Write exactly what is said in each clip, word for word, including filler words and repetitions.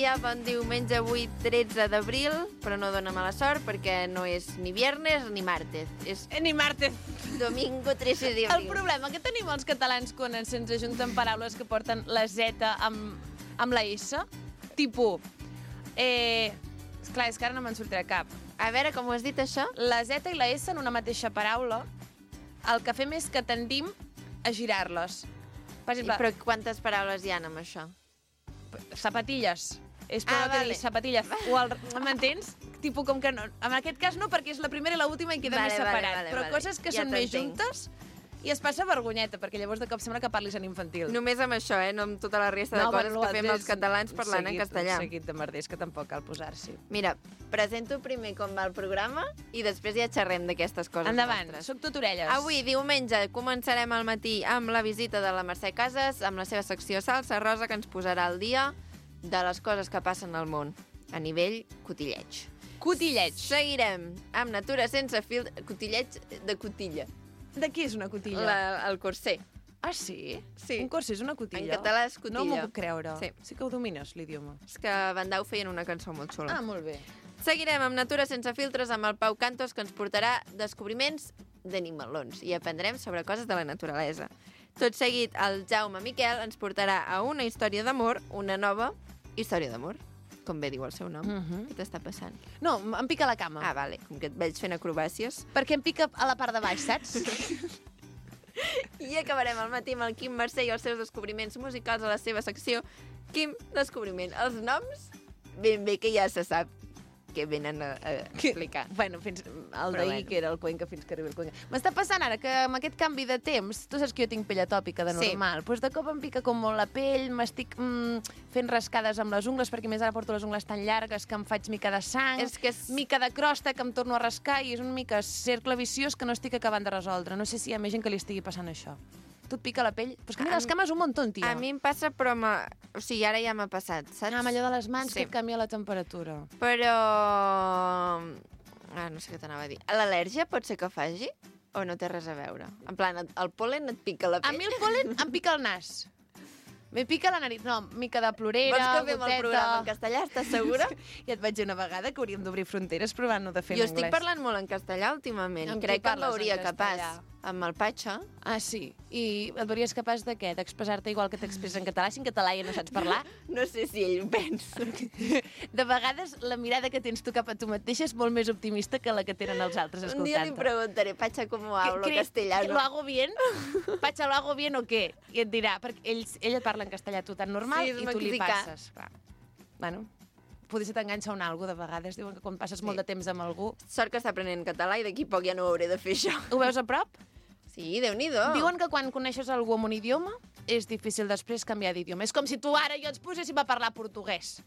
dia, bon diumenge, avui tretze d'abril, però no dona mala sort perquè no és ni viernes ni martes. És Ni martes. domingo trece d'abril. El problema que tenim els catalans quan se'ns ajunten paraules que porten la Z amb, amb la S, tipus... Eh, esclar, és que ara no me'n sortirà cap. A veure, com ho has dit, això? La Z i la S en una mateixa paraula, el que fem és que tendim a girar-les. Per Sí, exemple, però quantes paraules hi ha amb això? zapatilles. És per Ah, ah, que vale. digui zapatilles. O el, m'entens? Tipo com que no. En aquest cas no, perquè és la primera i l'última i queda Vale, més vale, separat. vale, Però vale. coses que Ja són més t'entenc. juntes i es passa vergonyeta, perquè llavors de cop sembla que parlis en infantil. Només amb això, eh? No amb tota la resta de No, coses bueno, que fem l'altre els és catalans parlant seguit, en castellà. Un seguit de merders que tampoc cal posar-s'hi. Mira, presento primer com va el programa i després ja xerrem d'aquestes coses Endavant, nostres. soc tot orelles. Avui, diumenge, començarem al matí amb la visita de la Mercè Casas, amb la seva secció Salsa Rosa, que ens posarà al dia de les coses que passen al món, a nivell cotilleig. Cotilleig. Seguirem amb Natura sense fil... Cotilleig de cotilla. De qui és una cotilla? La, el corser. Ah, sí? Sí. Un corser és una cotilla? En català és cotilla. No m'ho puc creure. Sí. Sí que ho domines, l'idioma. És que Van Dau feien una cançó molt xula. Ah, molt bé. Seguirem amb Natura sense filtres amb el Pau Cantos, que ens portarà descobriments d'animalons i aprendrem sobre coses de la naturalesa. Tot seguit, el Jaume Miquel ens portarà a una història d'amor, una nova història d'amor, com bé diu el seu nom. Mhm. Què t'està passant? No, em pica la cama. Ah, vale, com que et veig fent acrobàcies. Perquè em pica a la part de baix, saps? I acabarem al matí amb el Quim Mercè i els seus descobriments musicals a la seva secció Quim Descobriment. Els noms, ben bé que ja se sap que venen a, a explicar. Bueno, fins el Però d'ahir, bueno. que era el Cuenca, fins que arribi el Cuenca. M'està passant ara que amb aquest canvi de temps, tu saps que jo tinc pell atòpica de Sí. normal, doncs de cop em pica com molt la pell, m'estic mm, fent rascades amb les ungles, perquè més ara porto les ungles tan llargues que em faig mica de sang, És que és- mica de crosta que em torno a rascar, i és un mica cercle viciós que no estic acabant de resoldre. No sé si hi ha més gent que li estigui passant això. Tu et pica la pell? Pues que mira, A les mi- cames un muntó, tio. A mi em passa, però... Ma... O sigui, ara ja m'ha passat, saps? Ah, amb allò de les mans, Sí. que et canvia la temperatura. Però... Ah, no sé què t'anava a dir. L'al·lèrgia pot ser que faci? O no té res a veure? En plan, el polen et pica la A pell? mi el polen em pica el nas. Me pica la nariz. No, mica de plorera, Vols que fem el goteta... programa en castellà? Estàs segura? Ja et vaig dir una vegada que hauríem d'obrir fronteres provant-ho de fer Jo en estic anglès. parlant molt en castellà últimament. Amb qui Crec que em parles en veuria capaç. castellà? Amb el Patxa. Ah, sí? I et veuries capaç de què? D'expressar-te igual que t'expresses en català, si en català ja no saps parlar? No sé si ell ho pensa. De vegades la mirada que tens tu cap a tu mateixa és molt més optimista que la que tenen els altres Un dia li escoltant-te. preguntaré, Patxa, com hablo ¿Qué- crees castellano? que ¿Lo hago bien? Patxa, ¿lo hago bien o què? I et dirà, perquè ell, ell et parla en castellà tu tan normal Sí, és i tu li mexicà. passes. Va. Bueno, potser t'enganxa un algo de vegades. Diuen que quan passes Sí. molt de temps amb algú... Sort que està aprenent català i d'aquí poc ja no ho hauré de fer això. Ho veus a prop? Sí, Déu-n'hi-do. Diuen que quan coneixes algú amb un idioma és difícil després canviar d'idioma. És com si tu ara i jo ens poséssim a parlar portuguès.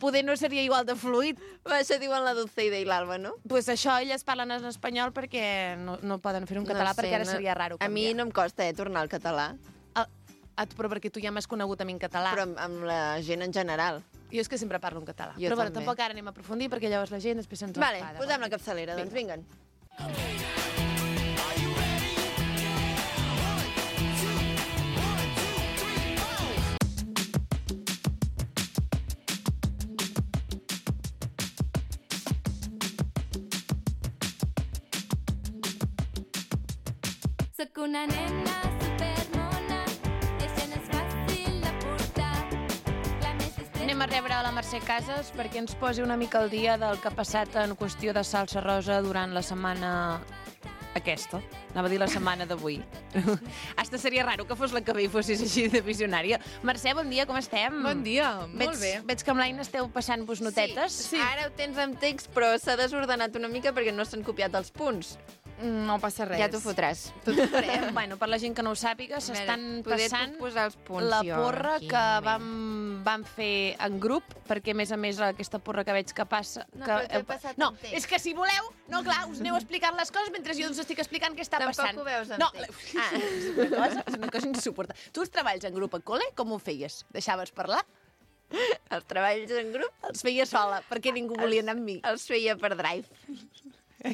Poder no seria igual de fluid. Va, això diuen la Dulceida i l'Alba, no? Pues això, elles parlen en espanyol perquè no, no poden fer un català, No sé, perquè ara no- seria raro A mi canviar. no em costa, eh, tornar al català, A, a, però perquè tu ja m'has conegut a mi en català. però amb, amb la gent en general. Jo és que sempre parlo en català. Jo però bueno, també. tampoc ara anem a aprofundir perquè llavors la gent després se'ns Vale, enfada. posem la capçalera, doncs vinguen. Sóc una nena supermona i això no és fàcil de portar. La més estreta... Anem a rebre a la Mercè Casas perquè ens posi una mica al dia del que ha passat en qüestió de salsa rosa durant la setmana aquesta. Anava a dir la setmana d'avui. Hasta seria raro que fos la que ve i fossis així de visionària. Mercè, bon dia, com estem? Bon dia, veig, molt bé. Veig que amb l'Aina esteu passant-vos notetes. Sí, ara ho tens amb text, però s'ha desordenat una mica perquè no s'han copiat els punts. No passa res. Ja t'ho fotràs. Tot ho farem. Bueno, per la gent que no ho sàpiga, s'estan poder passant puc posar els punts, la jo, porra aquí, que un vam, vam fer en grup, perquè a més a més aquesta porra que veig que passa... No, que, però t'ho he passat no, en text. és que si voleu, no clar, us aneu explicant les coses mentre jo us estic explicant què està Tampoc passant. ho veus en no, text. Ah, és una cosa, és una cosa insuportable. Tu els treballs en grup a col·le, com ho feies? Deixaves parlar? Els treballs en grup Els feia sola, perquè ningú volia anar amb mi. els feia per Drive.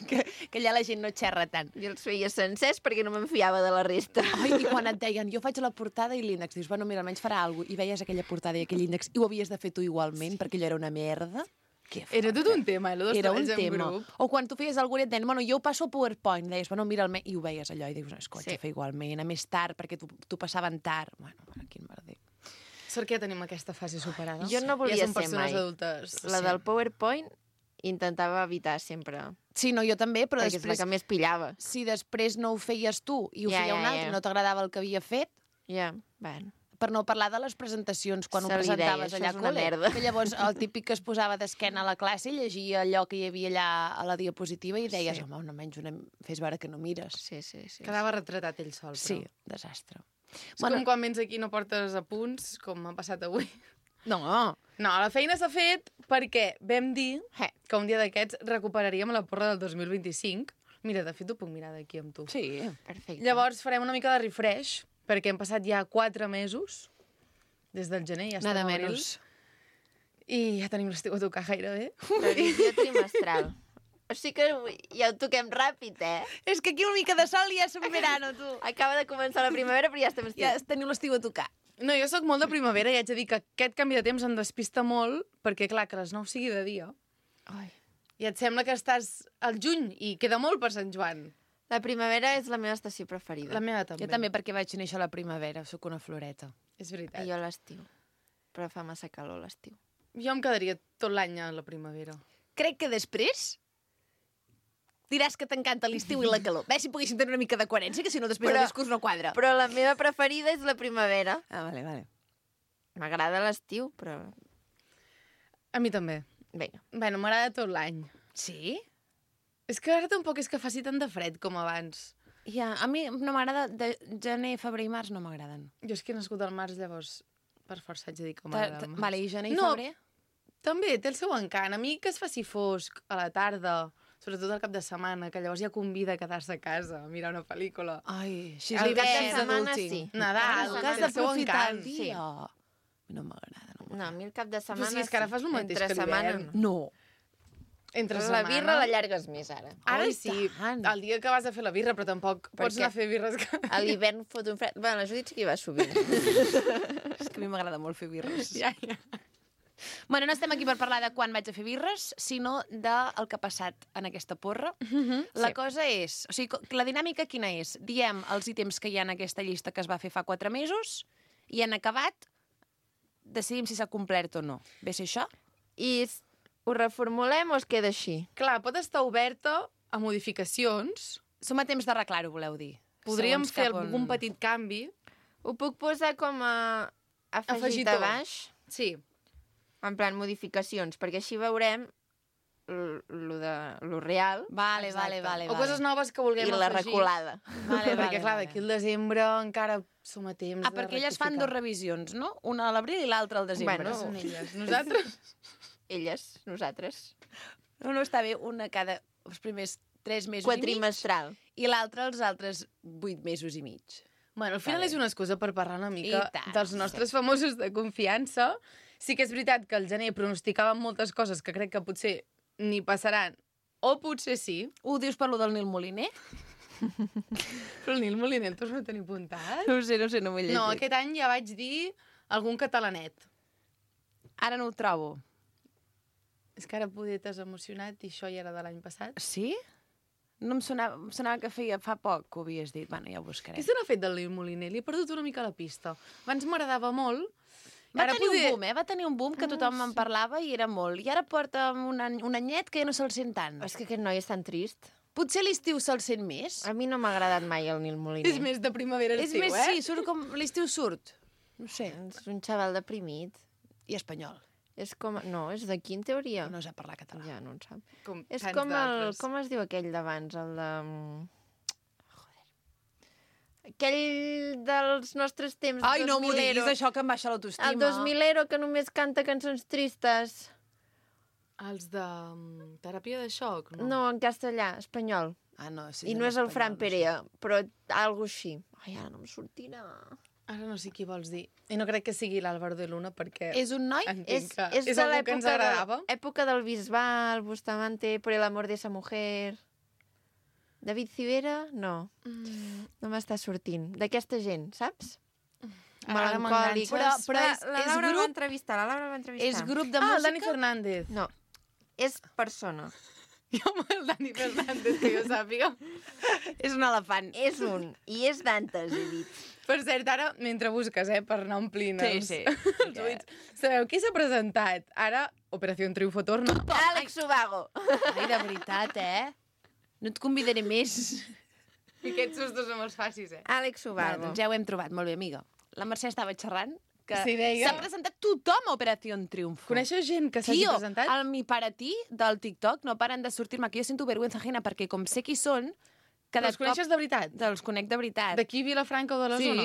que, que allà la gent no xerra tant. Jo els feia sencers perquè no me'n fiava de la resta. Ai, i quan et deien, jo faig la portada i l'índex, dius, bueno, mira, almenys farà alguna cosa, i veies aquella portada i aquell índex, i ho havies de fer tu igualment, perquè allò era una merda. Que Era tot un tema, eh, lo dels Era un treballs en tema. grup. O quan tu feies alguna cosa, et deien, bueno, jo ho passo a PowerPoint, deies, bueno, mira, el me... i ho veies allò, i dius, no, escolta, Sí. fer igualment, a més tard, perquè tu, tu passaven tard. Bueno, bueno, quin merder. Sort que ja tenim aquesta fase superada. Jo no volia ja som ser persones mai. adultes. La del PowerPoint intentava evitar sempre, Sí, no, jo també, però perquè és la després, que més pillava. si després no ho feies tu i ho Ja, feia ja, un altre ja. i no t'agradava el que havia fet, Ja, bueno. per no parlar de les presentacions, quan Se ho li deia, presentaves això allà és a una col·le, merda. que llavors el típic que es posava d'esquena a la classe llegia allò que hi havia allà a la diapositiva i deies, Sí. home, no menys una... fes veure que no mires. Sí, sí, sí. Quedava retratat ell sol, però. Sí, desastre. És com quan vens aquí i no portes apunts, com m'ha passat avui. No, No, la feina s'ha fet perquè vam dir Eh. que un dia d'aquests recuperaríem la porra del dos mil vint-i-cinc. Mira, de fet, ho puc mirar d'aquí amb tu. sí. Perfecte. Llavors farem una mica de refresh, perquè hem passat ja quatre mesos, des del gener, ja estem Nada a abril, menos. i ja tenim l'estiu a tocar gairebé. Revisió trimestral. O sigui que ja ho toquem ràpid, eh? És que aquí una mica de sol i ja som verano, tu. Acaba de començar la primavera, però ja estem estiu. Ja teniu l'estiu a tocar. No, jo sóc molt de primavera i haig de dir que aquest canvi de temps em despista molt, perquè, clar, que a les nou sigui de dia. Ai. I et sembla que estàs al juny i queda molt per Sant Joan. La primavera és la meva estació preferida. La meva també. Jo també, perquè vaig néixer a la primavera, sóc una floreta. És veritat. I jo a l'estiu. Però fa massa calor a l'estiu. Jo em quedaria tot l'any a la primavera. Crec que després diràs que t'encanta l'estiu i la calor. Bé, si poguéssim tenir una mica de coherència, que si no després Però- el discurs no quadra. Però la meva preferida és la primavera. Ah, vale, vale. M'agrada l'estiu, però... A mi també. Vinga. Bueno, m'agrada tot l'any. Sí? És que ara tampoc és que faci tant de fred com abans. Ja, a mi no m'agrada... De gener, febrer i març no m'agraden. Jo és que he nascut al març, llavors per força haig de dir que Ta- m'agrada ta- el març. Vale, i gener i No. febrer? També té el seu encant. A mi que es faci fosc a la tarda, sobretot al cap de setmana, que llavors ja convida a quedar-se a casa, a mirar una pel·lícula. Ai, així El és cap de l'hivern, setmana, adulting. sí. Nadal, Cada Que has té el seu d'aprofitar el encant. dia. sí. A mi no m'agrada. No. No, a mi el cap de setmana... sí, és que ara fas el mateix Entre que setmana l'hivern. no. no. Entre La setmana... birra l'allargues més, ara. Ara Oi, sí, tant. el dia que vas a fer la birra, però tampoc Per pots què? anar a fer birres que... A l'hivern fot un fred... Bueno, la Judit sí que hi va sovint. És que a mi m'agrada molt fer birres. Ja, ja. Bueno, no estem aquí per parlar de quan vaig a fer birres, sinó del que ha passat en aquesta porra. La Sí. cosa és... O sigui, co- la dinàmica quina és? Diem els ítems que hi ha en aquesta llista que es va fer fa quatre mesos i en acabat decidim si s'ha complert o no. Ve a ser això? I s- ho reformulem o es queda així? Clar, pot estar oberta a modificacions. Som a temps d'arreglar-ho, voleu dir? Podríem Segons fer cap on- algun petit canvi. Ho puc posar com a afegit Afegitó. a baix? Sí. En plan, modificacions, perquè així veurem l- lo, de, lo real Vale, Exacte. vale, vale. O coses noves que vulguem i la afegir. reculada. Vale, Perquè, vale, clar, vale. d'aquí al desembre encara som a temps Ah, de perquè elles fan dos rectificar. revisions, no? Una a l'abril i l'altra al desembre. Bueno, Són elles. Nosaltres... Elles, nosaltres. No, no, està bé, una cada... els primers tres mesos i mig Quatrimestral. i l'altra els altres vuit mesos i mig. Bueno, al final bé. és una excusa per parlar una mica I tant, dels nostres famosos de confiança. Sí que és veritat que al gener pronosticàvem moltes coses que crec que potser ni passaran, o potser sí. Ho dius per lo del Nil Moliner? Però el Nil Moliner el torno a tenir apuntat. No ho sé, no ho sé, no m'ho he llegit. No, aquest any ja vaig dir algun catalanet. Ara no ho trobo. És que ara poder t'has emocionat i això ja era de l'any passat. Sí? No em sonava, em sonava que feia fa poc que ho havies dit. Bueno, ja ho buscaré. Què se n'ha fet del Nil Moliner? Li he perdut una mica la pista. Abans m'agradava molt. Va Ara tenir poder- un boom, eh? Va tenir un boom que tothom en parlava i era molt. I ara porta un, any, un anyet que ja no se'l sent tant. És que aquest noi és tan trist. Potser a l'estiu se'l sent més. A mi no m'ha agradat mai el Nil Moliner. És més de primavera És estiu, més, eh? sí, surt com... L'estiu surt. No sé. És un xaval deprimit. I espanyol. És com... No, és d'aquí en teoria. No sap parlar català. Ja, no en sap. Com És tants com el... d'altres. Com es diu aquell d'abans? El de... Joder. Aquell dels nostres temps, Ai, no m'ho dos milero. diguis, això que em baixa l'autoestima. El dos milero que només canta cançons tristes. Els de mm, teràpia de xoc, no? No, en castellà, espanyol. Ah, no, sí, I en no és el espanyol, Fran no sé. Perea, però algo així. Ai, ara no em sortirà. Ara no sé qui vols dir. I no crec que sigui l'Àlvaro de Luna, perquè... És un noi? Entenc És, que és, és de algú que ens l'època agradava. de, època del Bisbal, Bustamante, Por el amor de esa mujer... David Civera, no. No m'està sortint. D'aquesta gent, saps? Ara Melancòlic. m'enganxes. Però, però és- la és Laura el grup- va entrevistar, la Laura el va entrevistar. És grup de Ah, el música? Dani Fernández. No, és persona. Jo amb el Dani Fernández, que jo sàpiga. És un elefant. És un, i és Dantes, he dit. Per cert, ara, mentre busques, eh, per anar omplint Sí, els, sí. els buits, sabeu qui s'ha presentat? Ara, Operació Triunfo torna. Àlex Subago. Ai, de veritat, eh? No et convidaré més. I aquests sustos no me'ls facis, eh? Àlex Va, Subago. doncs ja ho hem trobat, molt bé, amiga. La Mercè estava xerrant que Sí, deia. s'ha presentat tothom a Operació Triunfo. Coneixeu gent que s'hagi Tio, presentat? el mi para ti del TikTok no paren de sortir-me, que jo sento vergüenza ajena, perquè com sé qui són, Però cada els coneixes de veritat? Els conec de veritat. D'aquí Vilafranca o de la sí. zona?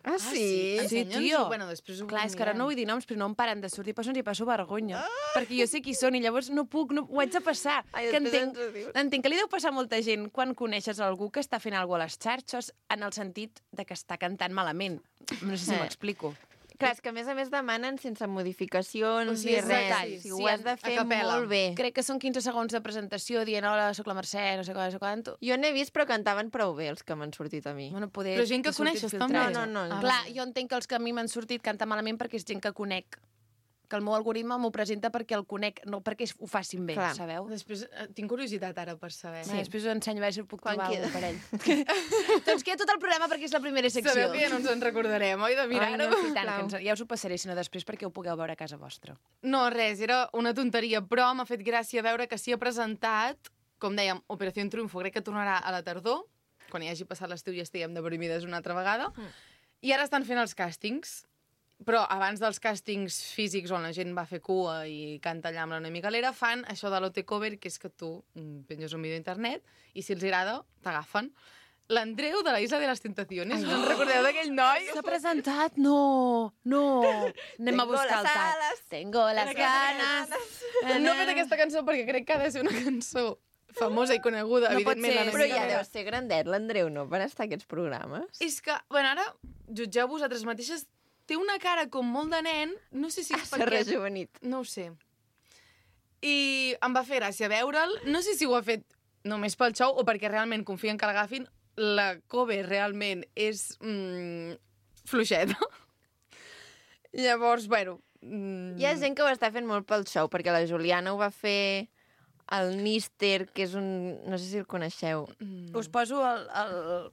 Ah, sí? Sí, Ensenya'ns-ho. tio. Bueno, després ho Clar, és que ara no vull dir noms, però no em paren de sortir persones i passo vergonya. Ah! Perquè jo sé qui són i llavors no puc, no, ho haig de passar. Ai, que després entenc, ens ho dius. entenc que li deu passar a molta gent quan coneixes algú que està fent alguna cosa a les xarxes en el sentit de que està cantant malament. No sé si Eh. m'explico. Clar, és que a més a més demanen sense modificacions O sigui, ni és res. detall, O sigui, sí, ho has de a fer capella. molt bé. Crec que són quinze segons de presentació dient hola, sóc la Mercè, no sé què, no sé quant. Jo n'he vist, però cantaven prou bé els que m'han sortit a mi. Bueno, poder... Però gent que he sortit coneixes, filtrats. també? No, no, no. Ah, clar, jo entenc que els que a mi m'han sortit canta malament perquè és gent que conec. Que el meu algoritme m'ho presenta perquè el conec, no perquè ho facin bé, Clar. sabeu? Després, eh, tinc curiositat ara per saber. Sí. Després us ensenyo a veure si puc Quan trobar queda? un parell. doncs queda tot el programa perquè és la primera secció. Sabeu que ja no ens en recordarem, oi, de Ai, mirar-ho? no, i tant, Sisplau. que ens, ja us ho passaré, sinó després perquè ho pugueu veure a casa vostra. No, res, era una tonteria, però m'ha fet gràcia veure que s'hi ha presentat, com dèiem, Operació Triunfo, crec que tornarà a la tardor, quan hi hagi passat l'estiu i estiguem deprimides una altra vegada, mm. i ara estan fent els càstings. Però abans dels càstings físics on la gent va fer cua i canta allà amb la Noemi Galera, fan això de l'O T Cover, que és que tu mm, penges un vídeo a internet i si els agrada, t'agafen. L'Andreu de la Isla de les Tentaciones, no en recordeu d'aquell noi? S'ha presentat? No, no. Anem Tengo a buscar el las tag. alas. Tengo las ganas. No he fet aquesta cançó perquè crec que ha de ser una cançó famosa i coneguda, No pot evidentment. ser, la Però Noemi ja Galera. deu ser grandet, l'Andreu, no?, per estar a aquests programes. És que, bueno, ara, jutgeu vosaltres mateixes, té una cara com molt de nen, no sé si és S'ha perquè... rejuvenit. No ho sé. I em va fer gràcia veure'l. No sé si ho ha fet només pel show o perquè realment confien que l'agafin. La cover realment és mm, fluixeta. Llavors, bueno... Mm, Hi ha gent que ho està fent molt pel show, perquè la Juliana ho va fer el Níster, que és un... No sé si el coneixeu. mm. Us poso el- el-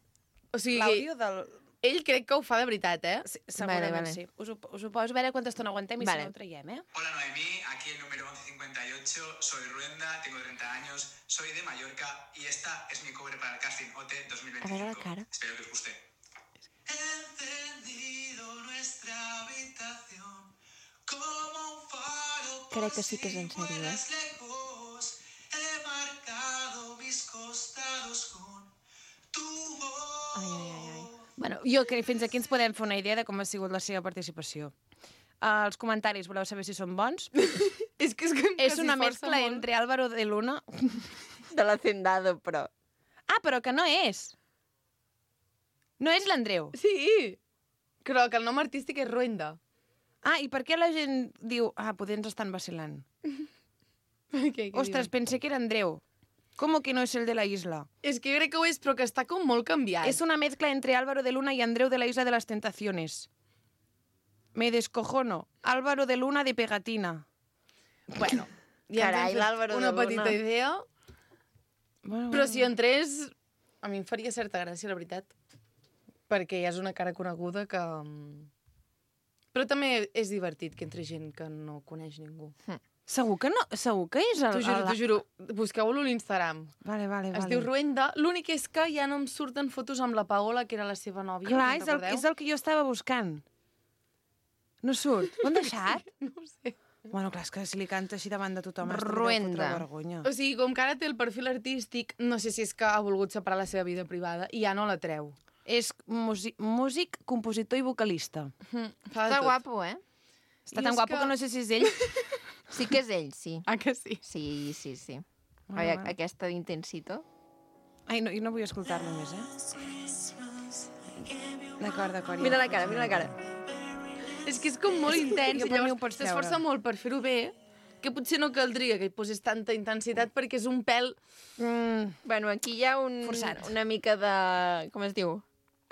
O sigui, l'àudio del... ell crec que ho fa de veritat, eh? Sí, segurament Vale, vale. sí. Us ho, us ho poso a veure quanta estona aguantem i Vale. si no ho traiem, eh? Hola Noemí, aquí el número once cincuenta y ocho, soy Ruenda, tengo treinta años, soy de Mallorca y esta es mi cover para el casting O T dos mil A ver la veinticinco. cara. Espero que os guste. He encendido nuestra habitación como un faro. Crec que sí que és en sèrio, eh? Lejos, he marcado mis costados con tu voz. Ai, ai, ai, ai. Bueno, jo crec que fins aquí ens podem fer una idea de com ha sigut la seva participació. Uh, els comentaris, voleu saber si són bons? És que és, que És s'hi una esforça mescla molt. entre Álvaro de Luna... De l'Hacendado, però. Ah, però que no és. No és l'Andreu. Sí, però que el nom artístic és Ruenda. Ah, i per què la gent diu... Ah, poder ens estan vacilant. Què, què Ostres, pensé que era Andreu. ¿Cómo que no es el de la isla? És que jo crec que ho és, però que està com molt canviat. Es una mezcla entre Álvaro de Luna y Andreu de la Isla de las Tentaciones. Me descojono. Álvaro de Luna de pegatina. Bueno, ja Carai, ens hem fet l'Álvaro de una Luna. petita idea, Bueno, però si entrés, a mi em faria certa gràcia, la veritat, perquè ja és una cara coneguda que... mm, Però també és divertit que entri gent que no coneix ningú. Segur que no? Segur que és el... T'ho juro, el- t'ho juro. Busqueu-lo a l'Instagram. Vale, vale, Es vale. diu Ruenda. L'únic és que ja no em surten fotos amb la Paola, que era la seva nòvia. Clar, us és el, recordeu? és el que jo estava buscant. No surt. Ho han deixat? No ho sé. Bueno, clar, és que si li canta així davant de tothom... es deu Ruenda. fotre vergonya. O sigui, com que ara té el perfil artístic, no sé si és que ha volgut separar la seva vida privada i ja no la treu. És músic, músic, compositor i vocalista. Mm, fa de Està tot. guapo, eh? Està I tan és guapo que- que no sé si és ell. Sí que és ell, sí. Ah, que sí? Sí, sí, sí. Bueno, Oi, bueno. aquesta d'Intensito. Ai, no, jo no vull escoltar-lo més, eh? D'acord, d'acord. ja Mira la ho cara, faig. mira la cara. És que és com molt intens Jo i per mi ho llavors pots s'esforça treure. molt per fer-ho bé, que potser no caldria que hi posés tanta intensitat perquè és un pèl... Mm, Bueno, aquí hi ha un, Forçat. una mica de... Com es diu?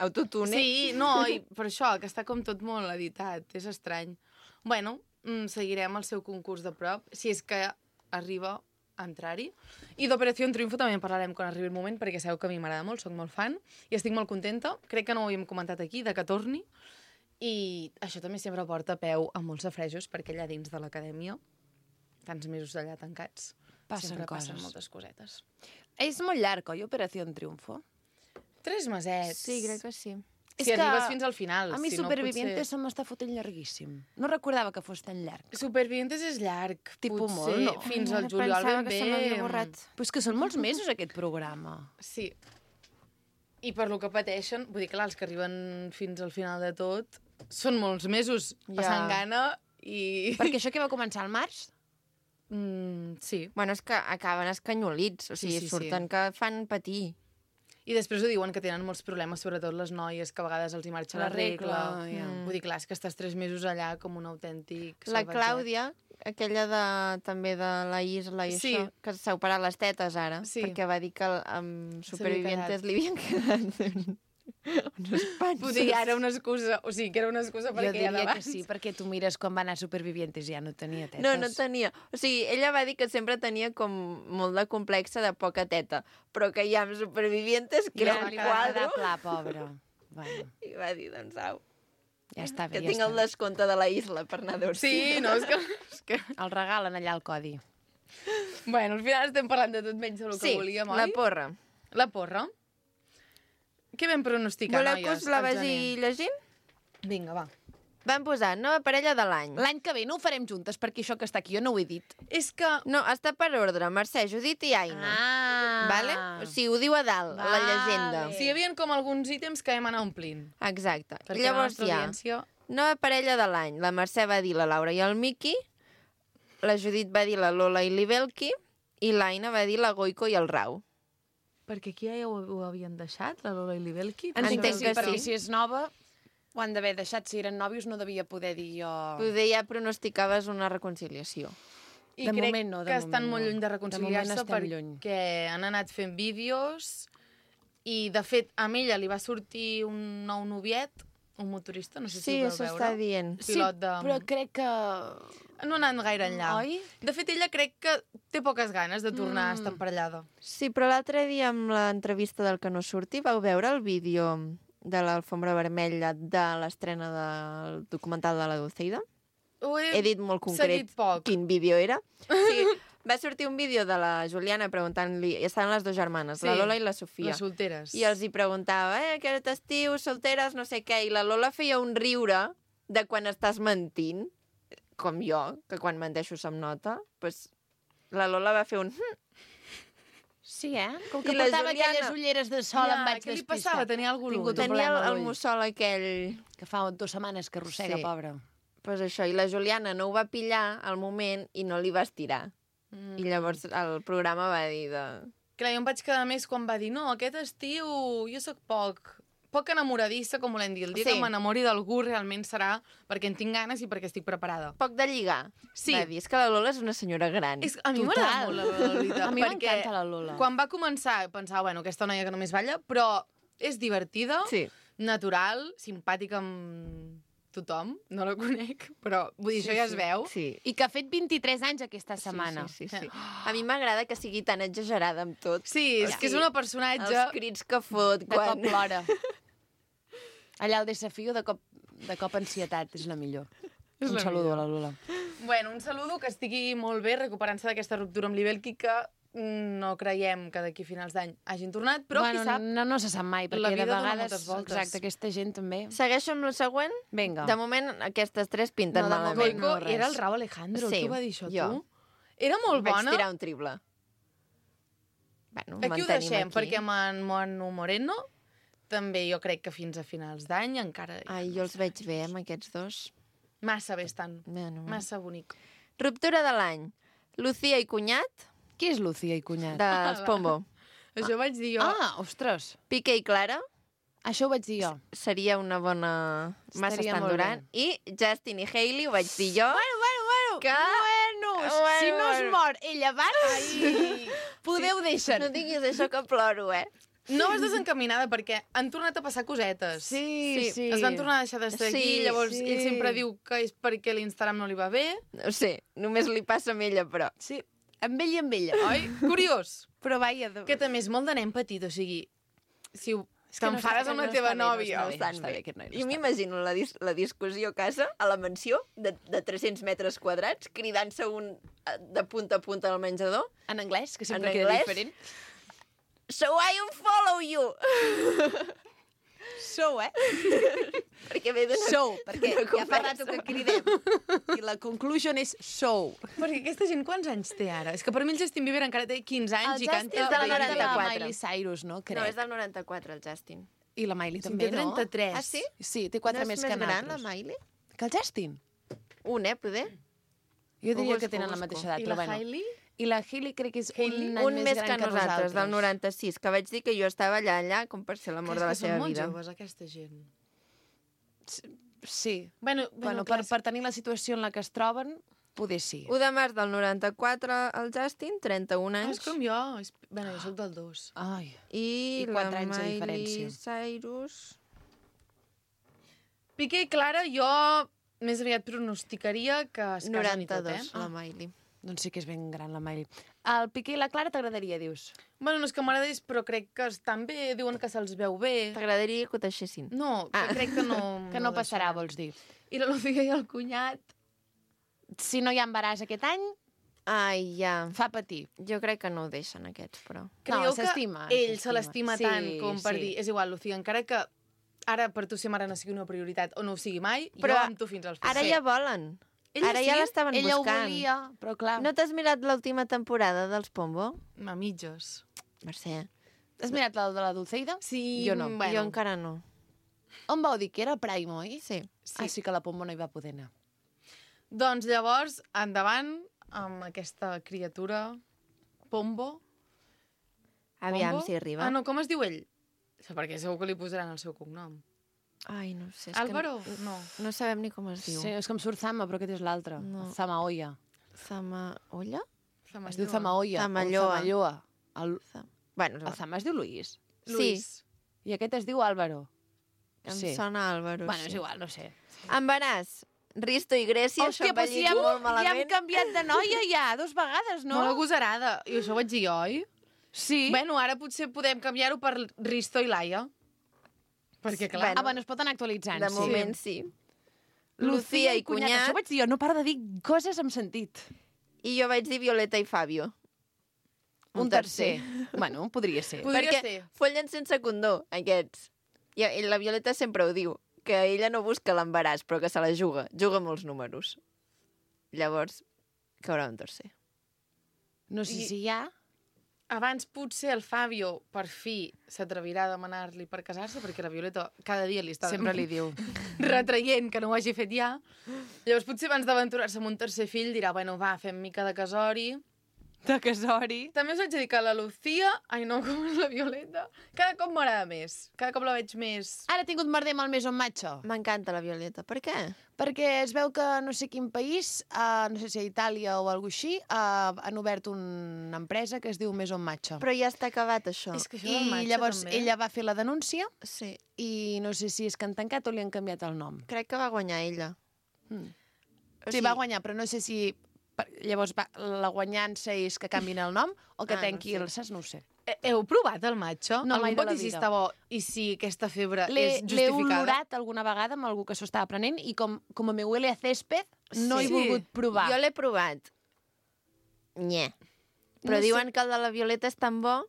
Autotune. Sí, no, i per això, que està com tot molt editat, és estrany. Bueno, mm, seguirem el seu concurs de prop, si és que arriba a entrar-hi. I d'Operació Triunfo també en parlarem quan arribi el moment, perquè sabeu que a mi m'agrada molt, sóc molt fan, i estic molt contenta. Crec que no ho havíem comentat aquí, de que torni. I això també sempre porta peu a molts safrejos, perquè allà dins de l'acadèmia, tants mesos allà tancats, Passen sempre passen coses. moltes cosetes. és molt llarg, oi, Operació Triunfo? Tres mesets. Sí, crec que sí. Si És que arribes fins al final. A mi si Supervivientes no, potser... se m'està fotent llarguíssim. No recordava que fos tan llarg. Supervivientes és llarg. Tipus potser molt, no? Fins Ai, al ara juliol pensava ben que bé. se m'havia borrat. Però és que són molts mesos, aquest programa. Sí. I per lo que pateixen, vull dir, clar, els que arriben fins al final de tot, són molts mesos Ja. passant gana i... Perquè això que va començar al març? Mm, sí. Bueno, és que acaben escanyolits, o Sí, sigui, sí, sí. surten que fan patir. I després ho diuen que tenen molts problemes, sobretot les noies, que a vegades els hi marxa la, La regla, regla. ja. Mm. Vull dir, clar, és que estàs tres mesos allà com un autèntic La salvatget. Clàudia, aquella de, també de la Isla i Sí. això, que s'ha operat les tetes ara, Sí. perquè va dir que amb S'havia Supervivientes li havien quedat uns panxos. Vull dir, ara una excusa, o sigui, que era una excusa Jo perquè ja diria que d'abans... sí, perquè tu mires quan va anar a Supervivientes i ja no tenia tetes. No, no tenia. O sigui, ella va dir que sempre tenia com molt de complexa de poca teta, però que ja amb Supervivientes, que era Ja un li va quadre, quedar pla, pobra. Bueno, i va dir, doncs, au, ja està bé, que ja tinc està el bé. descompte de la Isla per anar a dormir. Sí, no, és que... És que... El regalen allà al codi. Bueno, al final estem parlant de tot menys del que Sí, volíem, oi? la porra. La porra. Què vam pronosticar, Voleu noies? que us la al vagi gener? llegint? Vinga, va. Van posar nova parella de l'any. L'any que ve no ho farem juntes, perquè això que està aquí jo no ho he dit. És que... No, està per ordre, Mercè, Judit i Aina. Ah! Vale? O sigui, ho diu a dalt, a la Vale. llegenda. Sí, hi havia com alguns ítems que vam anar omplint. Exacte. Perquè Llavors la nostra hi ha audiència... nova parella de l'any. La Mercè va dir la Laura i el Miqui, la Judit va dir la Lola i l'Ibelki, i l'Aina va dir la Goico i el Rau. Perquè aquí ja ho, ho havien deixat, la Lola i l'Ibelki? Entenc Entenc que que perquè sí. si és nova, ho han d'haver deixat. Si eren nòvios no devia poder dir jo... Poder ja pronosticaves una reconciliació. I De crec moment no, de que estan moment molt no. lluny de De moment reconciliar-se estem perquè lluny. han anat fent vídeos i, de fet, a ella li va sortir un nou noviet, un motorista, no sé si Sí, ho vau això veure. està dient. Pilot de... però crec que... No ha anat gaire enllà. Oi? De fet, ella crec que té poques ganes de tornar Mm. a estar emparellada. Sí, però l'altre dia amb l'entrevista del que no surti vau veure el vídeo de l'alfombra vermella de l'estrena del documental de la Dulceida? Ho he, He dit molt concret seguit poc. quin vídeo era. Sí, va sortir un vídeo de la Juliana preguntant-li... Estaven les dues germanes, Sí, la Lola i la Sofia. Les solteres. I els hi preguntava, eh, aquest estiu, solteres, no sé què, i la Lola feia un riure de quan estàs mentint, com jo, que quan menteixo se'm nota, pues, la Lola va fer un... "Hm". Sí, eh? Com I que la portava Juliana? aquelles ulleres de sol, Ja, em vaig què li despistar. passava? Tenia algú Tingut l'ull. un Tenia el, problema a el l'ull, mussol aquell... que fa dues setmanes que arrossega, Sí. pobra. Pues això, i la Juliana no ho va pillar al moment i no li va estirar. Mm. I llavors el programa va dir de... Clar, jo em vaig quedar més quan va dir no, aquest estiu jo sóc poc, poc enamoradissa, com volem dir. El dia Sí. que m'enamori d'algú realment serà perquè en tinc ganes i perquè estic preparada. Poc de lligar. Sí. Va dir, és que la Lola és una senyora gran. És, a mi Total. m'agrada molt la Lola, la veritat. A mi perquè m'encanta la Lola. Quan va començar, pensava, bueno, aquesta noia que només balla, però és divertida, Sí. natural, simpàtica amb tothom. No la conec, però vull dir, això ja es veu. Sí. I que ha fet vint-i-tres anys aquesta setmana. Sí, sí, sí, sí. A mi m'agrada que sigui tan exagerada amb tot. Sí, és O que és sigui, una personatge... Els crits que fot De quan... cop plora. Allà el desafio de cop, de cop ansietat és la millor. És Un la saludo millor. a la Lola. Bueno, un saludo, que estigui molt bé recuperant-se d'aquesta ruptura amb l'Ibelki, que mm, no creiem que d'aquí a finals d'any hagin tornat, però bueno, qui sap... No, no se sap mai, perquè La vida de dona vegades... moltes voltes. Exacte, aquesta gent també... Segueixo amb la següent? Vinga. De moment, aquestes tres pinten No, de malament. moment Goico no, res. era el Rau Alejandro, Sí, qui va dir això, jo. tu? Era molt Vaig bona. tirar un triple. Bueno, Aquí ho mantenim deixem, aquí. perquè amb en Manu Moreno també jo crec que fins a finals d'any encara... Ai, jo els veig bé, amb aquests dos. Massa bé estan. Bueno, Massa bonic. Ruptura de l'any. Lucía i cunyat, Qui és Lucía i cunyat? dels Pombo. Això vaig dir jo. Ah, ostres! Piqué i Clara, Això ho vaig dir jo. seria una bona... Massa Estaria estan molt durant. I Justin i Hailey, ho vaig dir jo. Bueno, bueno, bueno! Que Bueno! Vamos, Bueno, si no es bueno. mor ell abans, podeu deixar. No diguis això que ploro, eh? No vas desencaminada perquè han tornat a passar cosetes. Sí, sí. Es van tornar a deixar de seguir, Sí, llavors sí. ell sempre diu que és perquè l'Instagram no li va bé. No sé, només li passa amb ella, però... Sí, amb ell i amb ella. Oi? Curiós. Però vaja... De... Que també és molt de nen petit, o sigui, si ho És que no t'enfades està- amb la no teva està bé, no nòvia... està bé. Estan està bé. bé, aquest noi no Jo està m'imagino la, dis la discussió a casa, a la mansió, de, de tres-cents metres quadrats, cridant-se un eh, de punta a punta al menjador. En anglès, que En sempre queda anglès? diferent. So I unfollow you! So, eh? Perquè ve d'una... So, perquè d'una ja fa conversa. rato que cridem. I la conclusion és so. Perquè aquesta gent quants anys té ara? És que per mi el Justin Bieber encara té quinze anys El i Justin canta... és del és de la noranta-quatre. Miley Cyrus, no? Crec. No, és del noranta-quatre, el Justin. I la Miley Sí, també, té trenta-tres. Ah, sí? Sí, té quatre no més és que més gran, la nosaltres. Miley? Que el Justin? Un, eh, poder? Jo Ho diria busco, que tenen ho la busco. mateixa edat, I però la bueno. Hailey? I la Hailey crec que és Hailey? un any Un més que, gran nosaltres, del noranta-sis, que vaig dir que jo estava allà, allà, com per ser l'amor de la És que són seva molt vida. joves, aquesta gent. Sí. Bueno, Bueno, per, per tenir la situació en la que es troben, poder sí. un de març del noranta-quatre, el Justin, trenta-un Ah, anys. és com jo. És... Bueno, jo soc del dos. Ai. I, I quatre la anys de Miley diferència. Cyrus... Piqué i Clara, jo més aviat pronosticaria que es casen i tot, noranta-dos, eh? la Miley. Doncs sí que és ben gran, la Miley. El Piqué i la Clara t'agradaria, dius? Bueno, no és que m'agradés, però crec que estan bé, diuen que se'ls veu bé. T'agradaria que ho deixessin? No, que Ah. crec que no... Que no passarà, deixaran. vols dir. I la Lucía i el cunyat... Si no hi ha embaràs aquest any, Ai, ja. fa patir. Jo crec que no ho deixen, aquests, però... Creieu No, s'estima, que ell se s'estima. l'estima Sí, tant com per sí. dir, és igual, Lucía, encara que ara per tu ser mare no sigui una prioritat o no ho sigui mai, Però jo amb tu fins als Ara Sí. ja volen. Ella Ara sí? ja l'estaven Ella ho buscant. volia, però clar... No t'has mirat l'última temporada dels Pombo? A mitges. Mercè. Has mirat la de la Dulceida? Sí, Jo no. Bueno, Jo encara no. On vau dir que era Prime, oi? Sí. Sí. Ah, sí que la Pombo no hi va poder anar. Doncs llavors, endavant amb aquesta criatura Pombo. Aviam Pombo? si arriba. Ah, no, com es diu ell? Perquè segur que li posaran el seu cognom. Ai, no sé. És Álvaro? Que No. no, no sabem ni com es diu. Sí, és que em surt Zama, però aquest és l'altre. No. El Zamaoia. Zamaolla? Es diu Zamaoia. Zamalloa. O Zamalloa. El, Zam... Bueno, el Zama es diu Luis. Luis. I aquest es diu Álvaro. em sí. sona Álvaro. Bueno, sí. és igual, no sé. Embaràs. Risto i Grècia, Hòstia, això però si ja, molt ja hem malament. canviat de noia ja, dos vegades, no? No? Molt agosarada. I això ho vaig dir jo, oi? Sí. Bueno, ara potser podem canviar-ho per Risto i Laia. Perquè, clar... Bueno, Ah, bueno, es poden actualitzant, De sí. moment sí. Lucía i cunyat. Això vaig dir jo, no para de dir coses amb sentit. I jo vaig dir Violeta i Fabio. Un tercer. Bueno, podria ser. Podria Perquè ser. follen sense condó, aquests. I, I la Violeta sempre ho diu, que ella no busca l'embaràs, però que se la juga. Juga amb els números. Llavors, caurà un tercer. No sé I- si hi ha... Abans potser el Fabio, per fi, s'atrevirà a demanar-li per casar-se, perquè la Violeta cada dia li està Sempre li diu. retraient que no ho hagi fet ja. Llavors potser abans d'aventurar-se amb un tercer fill dirà, bueno, va, fem mica de casori. De casori. També us haig de dir que la Lucía, ai no, com és la Violeta, cada cop m'agrada més. Cada cop la veig més... Ara ha tingut merder amb el Maison Macho. M'encanta la Violeta. Per què? Perquè es veu que no sé quin país, uh, no sé si a Itàlia o alguna així, uh, han obert una empresa que es diu Maison Macho. Però ja està acabat, això. És que això del I matxa, llavors també. ella va fer la denúncia Sí. i no sé si és que han tancat o li han canviat el nom. Crec que va guanyar ella. Mm. O Sí, va guanyar, però no sé si... per- Llavors va, la guanyança és que canvin el nom o que Ah, no tanqui sé. el... Saps? No ho sé. Eh, Heu provat el matxo? No, Algú mai de pot la dir si vida. està bo i si aquesta febre L'he és l'he justificada? olorat alguna vegada amb algú que s'ho estava prenent i com, com me huele a césped, no Sí. he volgut provar. Jo l'he provat. Nye. Però No sé. diuen que el de la Violeta és tan bo.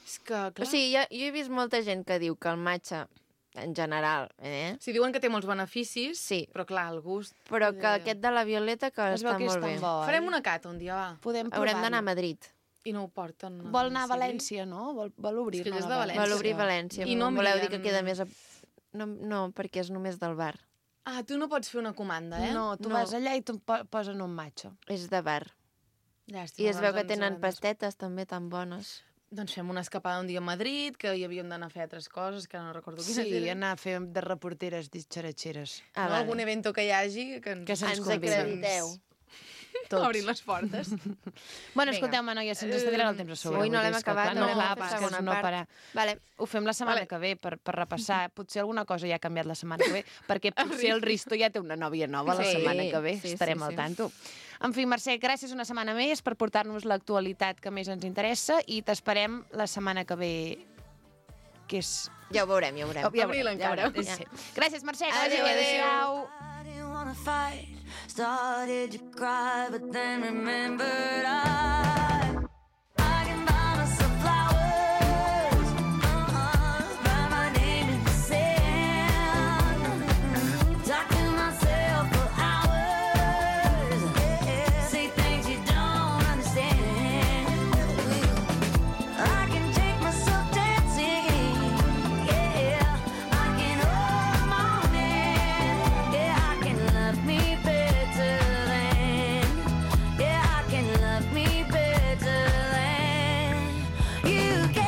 És que, clar... O sigui, jo, jo he vist molta gent que diu que el matxa, en general, eh? Si diuen que té molts beneficis, Sí. però clar, el gust... Però que poder- aquest de la Violeta que Es veu està que és molt tan bé. bo, oi? Farem una cata un dia, va. Podem provar. Haurem d'anar a Madrid. I no ho porten. Vol anar a domicili? València, no? Vol, vol obrir És que ell és de València. Vol obrir València. I no em voleu dir que envien- queda més a... No, no, perquè és només del bar. Ah, tu no pots fer una comanda, eh? No, tu No. vas allà i te'n po posen un matxo. És de bar. Llàstima, I es veu doncs que tenen haurem de- pastetes també tan bones. Doncs fem una escapada un dia a Madrid, que hi havíem d'anar a fer altres coses, que ara no recordo quines Sí, eren. anar a fer de reporteres ditxaratxeres. Ah, no, vale. algun evento que hi hagi que ens, Que se'ns Ens conviden. acrediteu. Tots. Obrint les portes. Bueno, escolteu-me, noies, se'ns està tirant el temps a sobre. Ui, no vull dir, l'hem és que, acabat, clar, no no, l'hem clar, fet és que segona és no part. parar. Vale. Ho fem la setmana Vale. que ve per, per repassar. Potser alguna cosa ja ha canviat la setmana que ve, perquè potser el Risto ja té una nòvia nova la Sí, setmana que ve. sí, Estarem sí, al sí. tanto. En fi, Mercè, gràcies una setmana més per portar-nos l'actualitat que més ens interessa i t'esperem la setmana que ve, que és... Ja ho veurem, ja ho veurem. Oh, ja Abril veurem, ja encara. veurem. Sí. Gràcies, Mercè. Que Adéu, vagi bé. adéu. Adéu. I didn't wanna fight. Started to cry, but then remembered I I can buy myself flowers. Uh-uh, write my name in the sand. Talk to myself for hours. Say things you don't understand. I can take myself dancing. Yeah, I can hold the morning. Yeah, I can love me better than. Yeah, I can love me better than you can.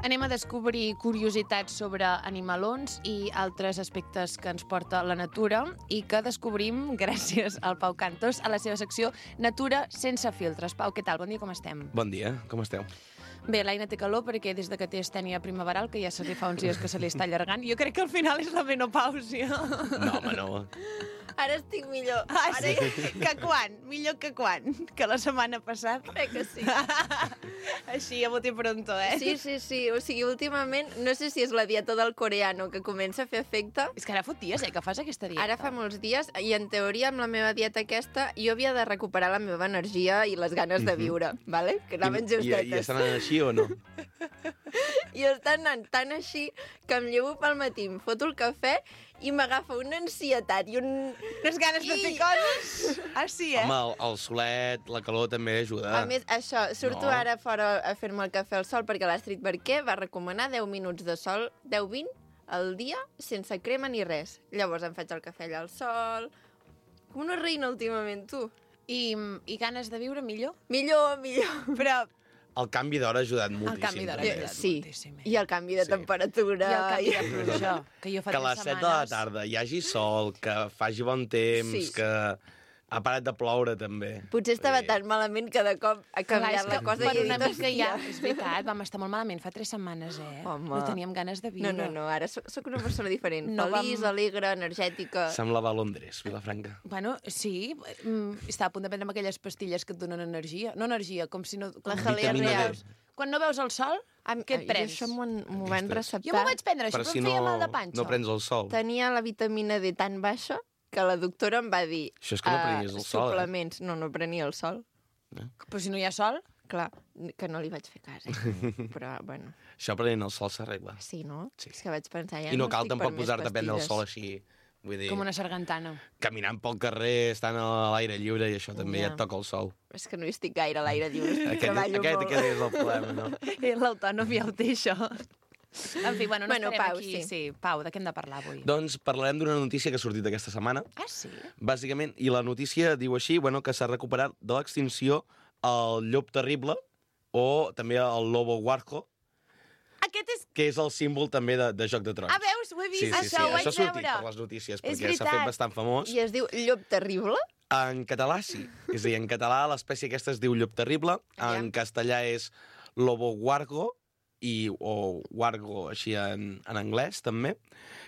Anem a descobrir curiositats sobre animalons i altres aspectes que ens porta la natura i que descobrim gràcies al Pau Cantos a la seva secció Natura sense filtres. Pau, què tal? Bon dia, com estem? Bon dia, com esteu? Bé, l'Aina té calor perquè des de que té estènia primaveral, que ja se li fa uns dies que se li està allargant, jo crec que al final és la menopàusia. No, home, no. Ara estic millor. Ah, Ara sí? Que quan? Millor que quan? Que la setmana passada? crec que sí. Així, a bote pronto, eh? Sí, sí, sí. O sigui, últimament, no sé si és la dieta del coreano que comença a fer efecte. És que ara fot dies, eh, que fas aquesta dieta. Ara fa molts dies, i en teoria amb la meva dieta aquesta, jo havia de recuperar la meva energia i les ganes de viure, vale? Que anaven I, i, justetes. I estan anant així o no? I estan anant tan així que em llevo pel matí, em foto el cafè i m'agafa una ansietat i un... Unes ganes de fer I- coses. Ah, sí, eh? Home, el, el solet, la calor també ajuda. A més, això, surto No. ara fora a fer-me el cafè al sol perquè l'Astrid Barquer va recomanar deu minuts de sol, deu vint al dia, sense crema ni res. Llavors em faig el cafè allà al sol... Com una reina últimament, tu. I, I ganes de viure millor? Millor, millor. Però El canvi d'hora ha ajudat moltíssim. canvi d'hora també. ha ajudat. Sí, moltíssim, eh? i el canvi de Sí. temperatura. I el canvi i- de pluja, que jo fa Que a les tres set de la setmanes... tarda hi hagi sol, que faci bon temps, Sí. que ha parat de ploure també. Potser estava Vull dir, tan malament que de cop ha Clar, canviat és la que cosa per i he una dit, mica ja, hòstia. és veritat, vam estar molt malament fa tres setmanes, eh? Home. No teníem ganes de viure. No, no, no, ara soc, soc una persona diferent. No Feliç, vam- alegre, energètica. Semblava Londres, Vilafranca. Bueno, sí, mm, estava a punt de prendre aquelles pastilles que et donen energia. No energia, com si no... La com- Jalea Vitamina D. Real. Quan no veus el sol, Am- què et jo prens? Això m'ho han- m'ho van Ostres. receptar. Jo m'ho vaig prendre, això, Per però si em no, feia mal de panxa. no prens el sol. Tenia la vitamina D tan baixa que la doctora em va dir... Això és que no "Ah, prenies el sol, eh?" Suplements. No, no prenia el sol. Però si no hi ha sol... Clar, que no li vaig fer cas, eh? Però, bueno, Això prenent el sol s'arregla. sí, no? Sí. És que vaig pensar, ja I no no cal estic per tampoc més posar-te a prendre el pastilles. sol així. Vull dir, Com una sargantana. caminant pel carrer, estant a l'aire lliure i això també Ja. ja et toca el sol. És que no hi estic gaire a l'aire lliure, Aquest, treballo aquest, molt. aquest és el problema, no? Eh, L'autònom ja ho té, això. En fi, bueno, no Bueno, estarem Pau, aquí. sí. sí. Pau, de què hem de parlar avui? Doncs parlarem d'una notícia que ha sortit aquesta setmana, Ah, sí? bàsicament, i la notícia diu així, bueno, que s'ha recuperat de l'extinció el llop terrible o també el lobo huarco, Aquest és... que és el símbol també de, de Joc de Trons. Ah, veus? Ho he vist, Sí, sí, això sí, ho vaig això ha sortit veure. per les notícies, És perquè s'ha fet veritat. bastant famós. I es diu llop terrible? En català sí, és a dir, en català l'espècie aquesta es diu llop terrible, en castellà és lobo huargo, i, o wargo així en, en anglès també,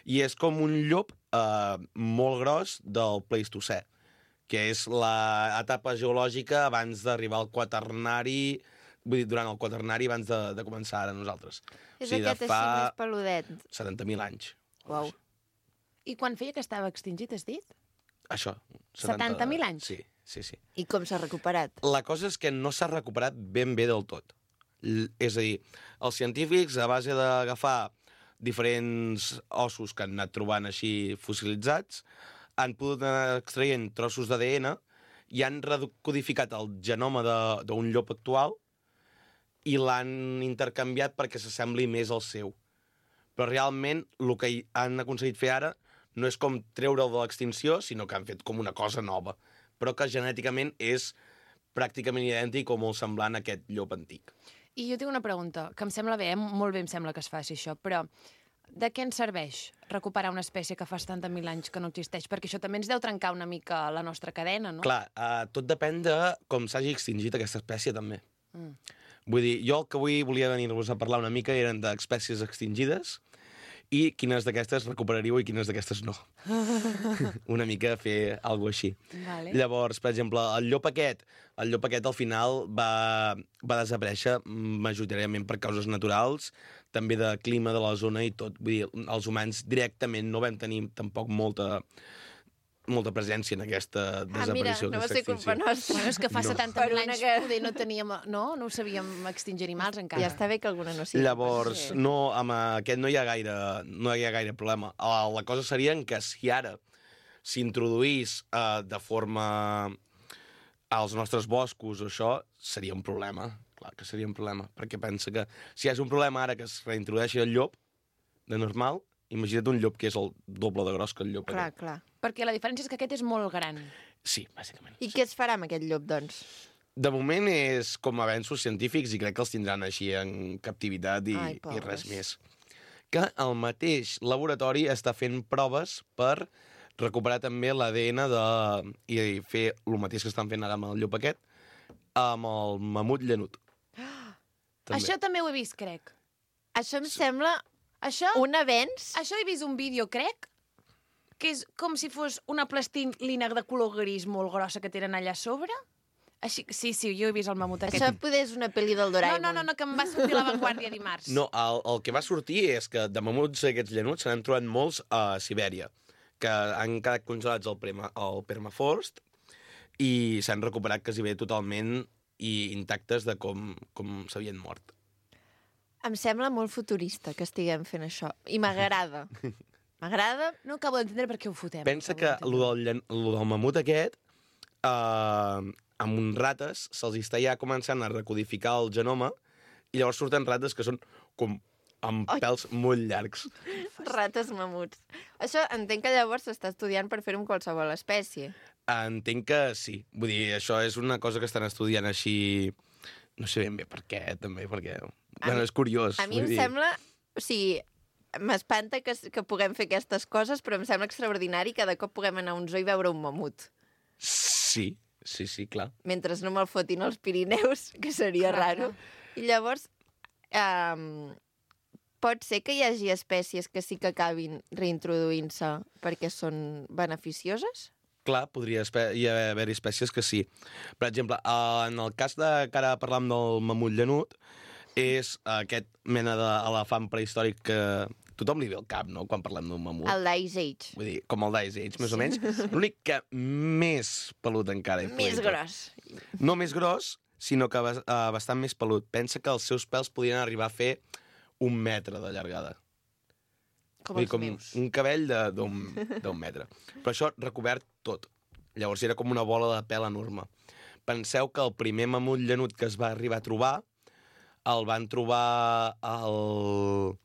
i és com un llop eh, molt gros del Pleistocè, que és l'etapa geològica abans d'arribar al quaternari, vull dir, durant el quaternari abans de, de començar ara nosaltres. És O sigui, aquest de així fa més peludet. setanta mil anys. Uau. I quan feia que estava extingit, has dit? Això. setanta mil anys? Sí, sí, sí. I com s'ha recuperat? La cosa és que no s'ha recuperat ben bé del tot. L és a dir, els científics, a base d'agafar diferents ossos que han anat trobant així fossilitzats, han pogut anar extraient trossos d'A D N i han recodificat el genoma de- d'un llop actual i l'han intercanviat perquè s'assembli més al seu. Però realment el que hi han aconseguit fer ara no és com treure'l de l'extinció, sinó que han fet com una cosa nova, però que genèticament és pràcticament idèntic o molt semblant a aquest llop antic. I jo tinc una pregunta, que em sembla bé, eh? Molt bé em sembla que es faci això, però de què ens serveix recuperar una espècie que fa setanta mil anys que no existeix? Perquè això també ens deu trencar una mica la nostra cadena, no? Clar, uh, tot depèn de com s'hagi extingit aquesta espècie, també. Mm. Vull dir, jo el que avui volia venir-vos a parlar una mica eren d'espècies extingides i quines d'aquestes recuperaríeu i quines d'aquestes no. Una mica fer alguna cosa així. Vale. Llavors, per exemple, el llop aquest, el llop aquest al final va, va desaparèixer majoritàriament per causes naturals, també de clima de la zona i tot. Vull dir, els humans directament no vam tenir tampoc molta, molta presència en aquesta Ah, mira, desaparició. no va aquesta ser culpa extinció. nostra. Bueno, és que fa No. setanta Per mil una anys que- poder no teníem... No? No ho sabíem extingir animals encara. Ja està bé que alguna no sigui. Llavors, Sí. no, amb aquest no hi ha gaire, no hi ha gaire problema. La, la cosa seria en que si ara s'introduís uh, de forma als nostres boscos o això, seria un problema. Clar que seria un problema, perquè pensa que si és un problema ara que es reintrodueixi el llop, de normal, imagina't un llop que és el doble de gros que el llop Clar, aquest. clar. Perquè la diferència és que aquest és molt gran. Sí, bàsicament. I què es farà amb aquest llop, doncs? De moment és com avenços científics i crec que els tindran així en captivitat i, Ai, i pobres. res més. Que el mateix laboratori està fent proves per recuperar també l'A D N de... i fer el mateix que estan fent ara amb el llop aquest, amb el mamut llanut. També. Això també ho he vist, crec. Això em sembla Això, un avenç. això he vist un vídeo, crec, que és com si fos una plastilina de color gris molt grossa que tenen allà a sobre. Així, sí, sí, jo he vist el mamut aquest. Això poder és una pel·li del No, Doraemon. no, no, no, que em va sortir a l'avantguàrdia dimarts. No, el, el que va sortir és que de mamuts aquests llanuts se n'han trobat molts a Sibèria, que han quedat congelats al, prema, al permafrost i s'han recuperat quasi bé totalment i intactes de com, com s'havien mort. Em sembla molt futurista que estiguem fent això. I m'agrada. M'agrada. No acabo d'entendre per què ho fotem. Pensa no que acabo lo del, llan- lo del mamut aquest, eh, amb uns rates, se'ls està ja començant a recodificar el genoma i llavors surten rates que són com amb Ai. pèls molt llargs. Rates mamuts. Això entenc que llavors s'està estudiant per fer-ho amb qualsevol espècie. Entenc que sí. Vull dir, això és una cosa que estan estudiant així... No sé ben bé per què, també, perquè... A Bueno, mi- és curiós. A mi vull em dir. sembla... O sigui, m'espanta que, que puguem fer aquestes coses, però em sembla extraordinari que de cop puguem anar a un zoo i veure un mamut. Sí, sí, sí, clar. Mentre no me'l fotin als Pirineus, que seria Clar, raro. I llavors, um, pot ser que hi hagi espècies que sí que acabin reintroduint-se perquè són beneficioses? Clar, podria espe- hi haver espècies que sí. Per exemple, eh, en el cas de que ara parlam del mamut llanut, és aquest mena d'elefant prehistòric que tothom li ve al cap, no?, quan parlem d'un mamut. El d'Ice Age. Vull dir, com el d'Ice Age, més o menys. L'únic que més pelut encara. i Més polenta. gros. No més gros, sinó que bas- uh, bastant més pelut. Pensa que els seus pèls podien arribar a fer un metre de llargada. Com Vull dir, els com meus. un cabell de- d'un d'un metre. Però això recobert tot. Llavors era com una bola de pèl enorme. Penseu que el primer mamut llanut que es va arribar a trobar el van trobar al...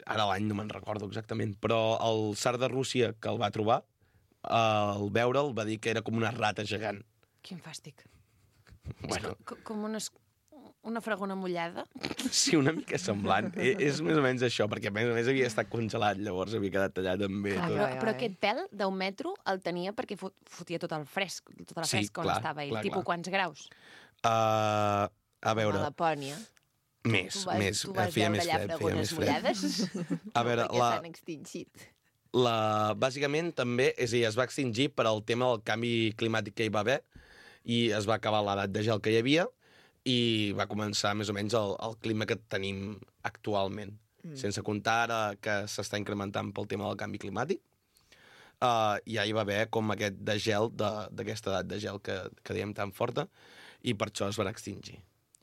Ara l'any no me'n recordo exactament, però el tsar de Rússia que el va trobar, al veure'l va dir que era com una rata gegant. Quin fàstic. Bueno, És co- com una, es- una fragona mullada. sí, una mica semblant. I- és més o menys això, perquè a més a més havia estat congelat, llavors havia quedat tallat també. Clar, tot. però, ai, però ai. aquest pèl d'un metro el tenia perquè fot, fotia tot el fresc, tota la Sí, fresca on clar, estava ell. clar, Tipus clar. quants graus? Uh, a veure, A Lapònia. més, tu vas, més. tu vas feia veure més allà fred, feia fragones més fred. mullades? A veure, perquè la, s'han extingit. la, bàsicament també, és a dir, es va extingir per al tema del canvi climàtic que hi va haver i es va acabar l'edat de gel que hi havia i va començar més o menys el, el clima que tenim actualment. Mm. Sense comptar ara que s'està incrementant pel tema del canvi climàtic. Uh, ja hi va haver com aquest de gel, de- d'aquesta edat de gel que, que dèiem tan forta, i per això es van extingir.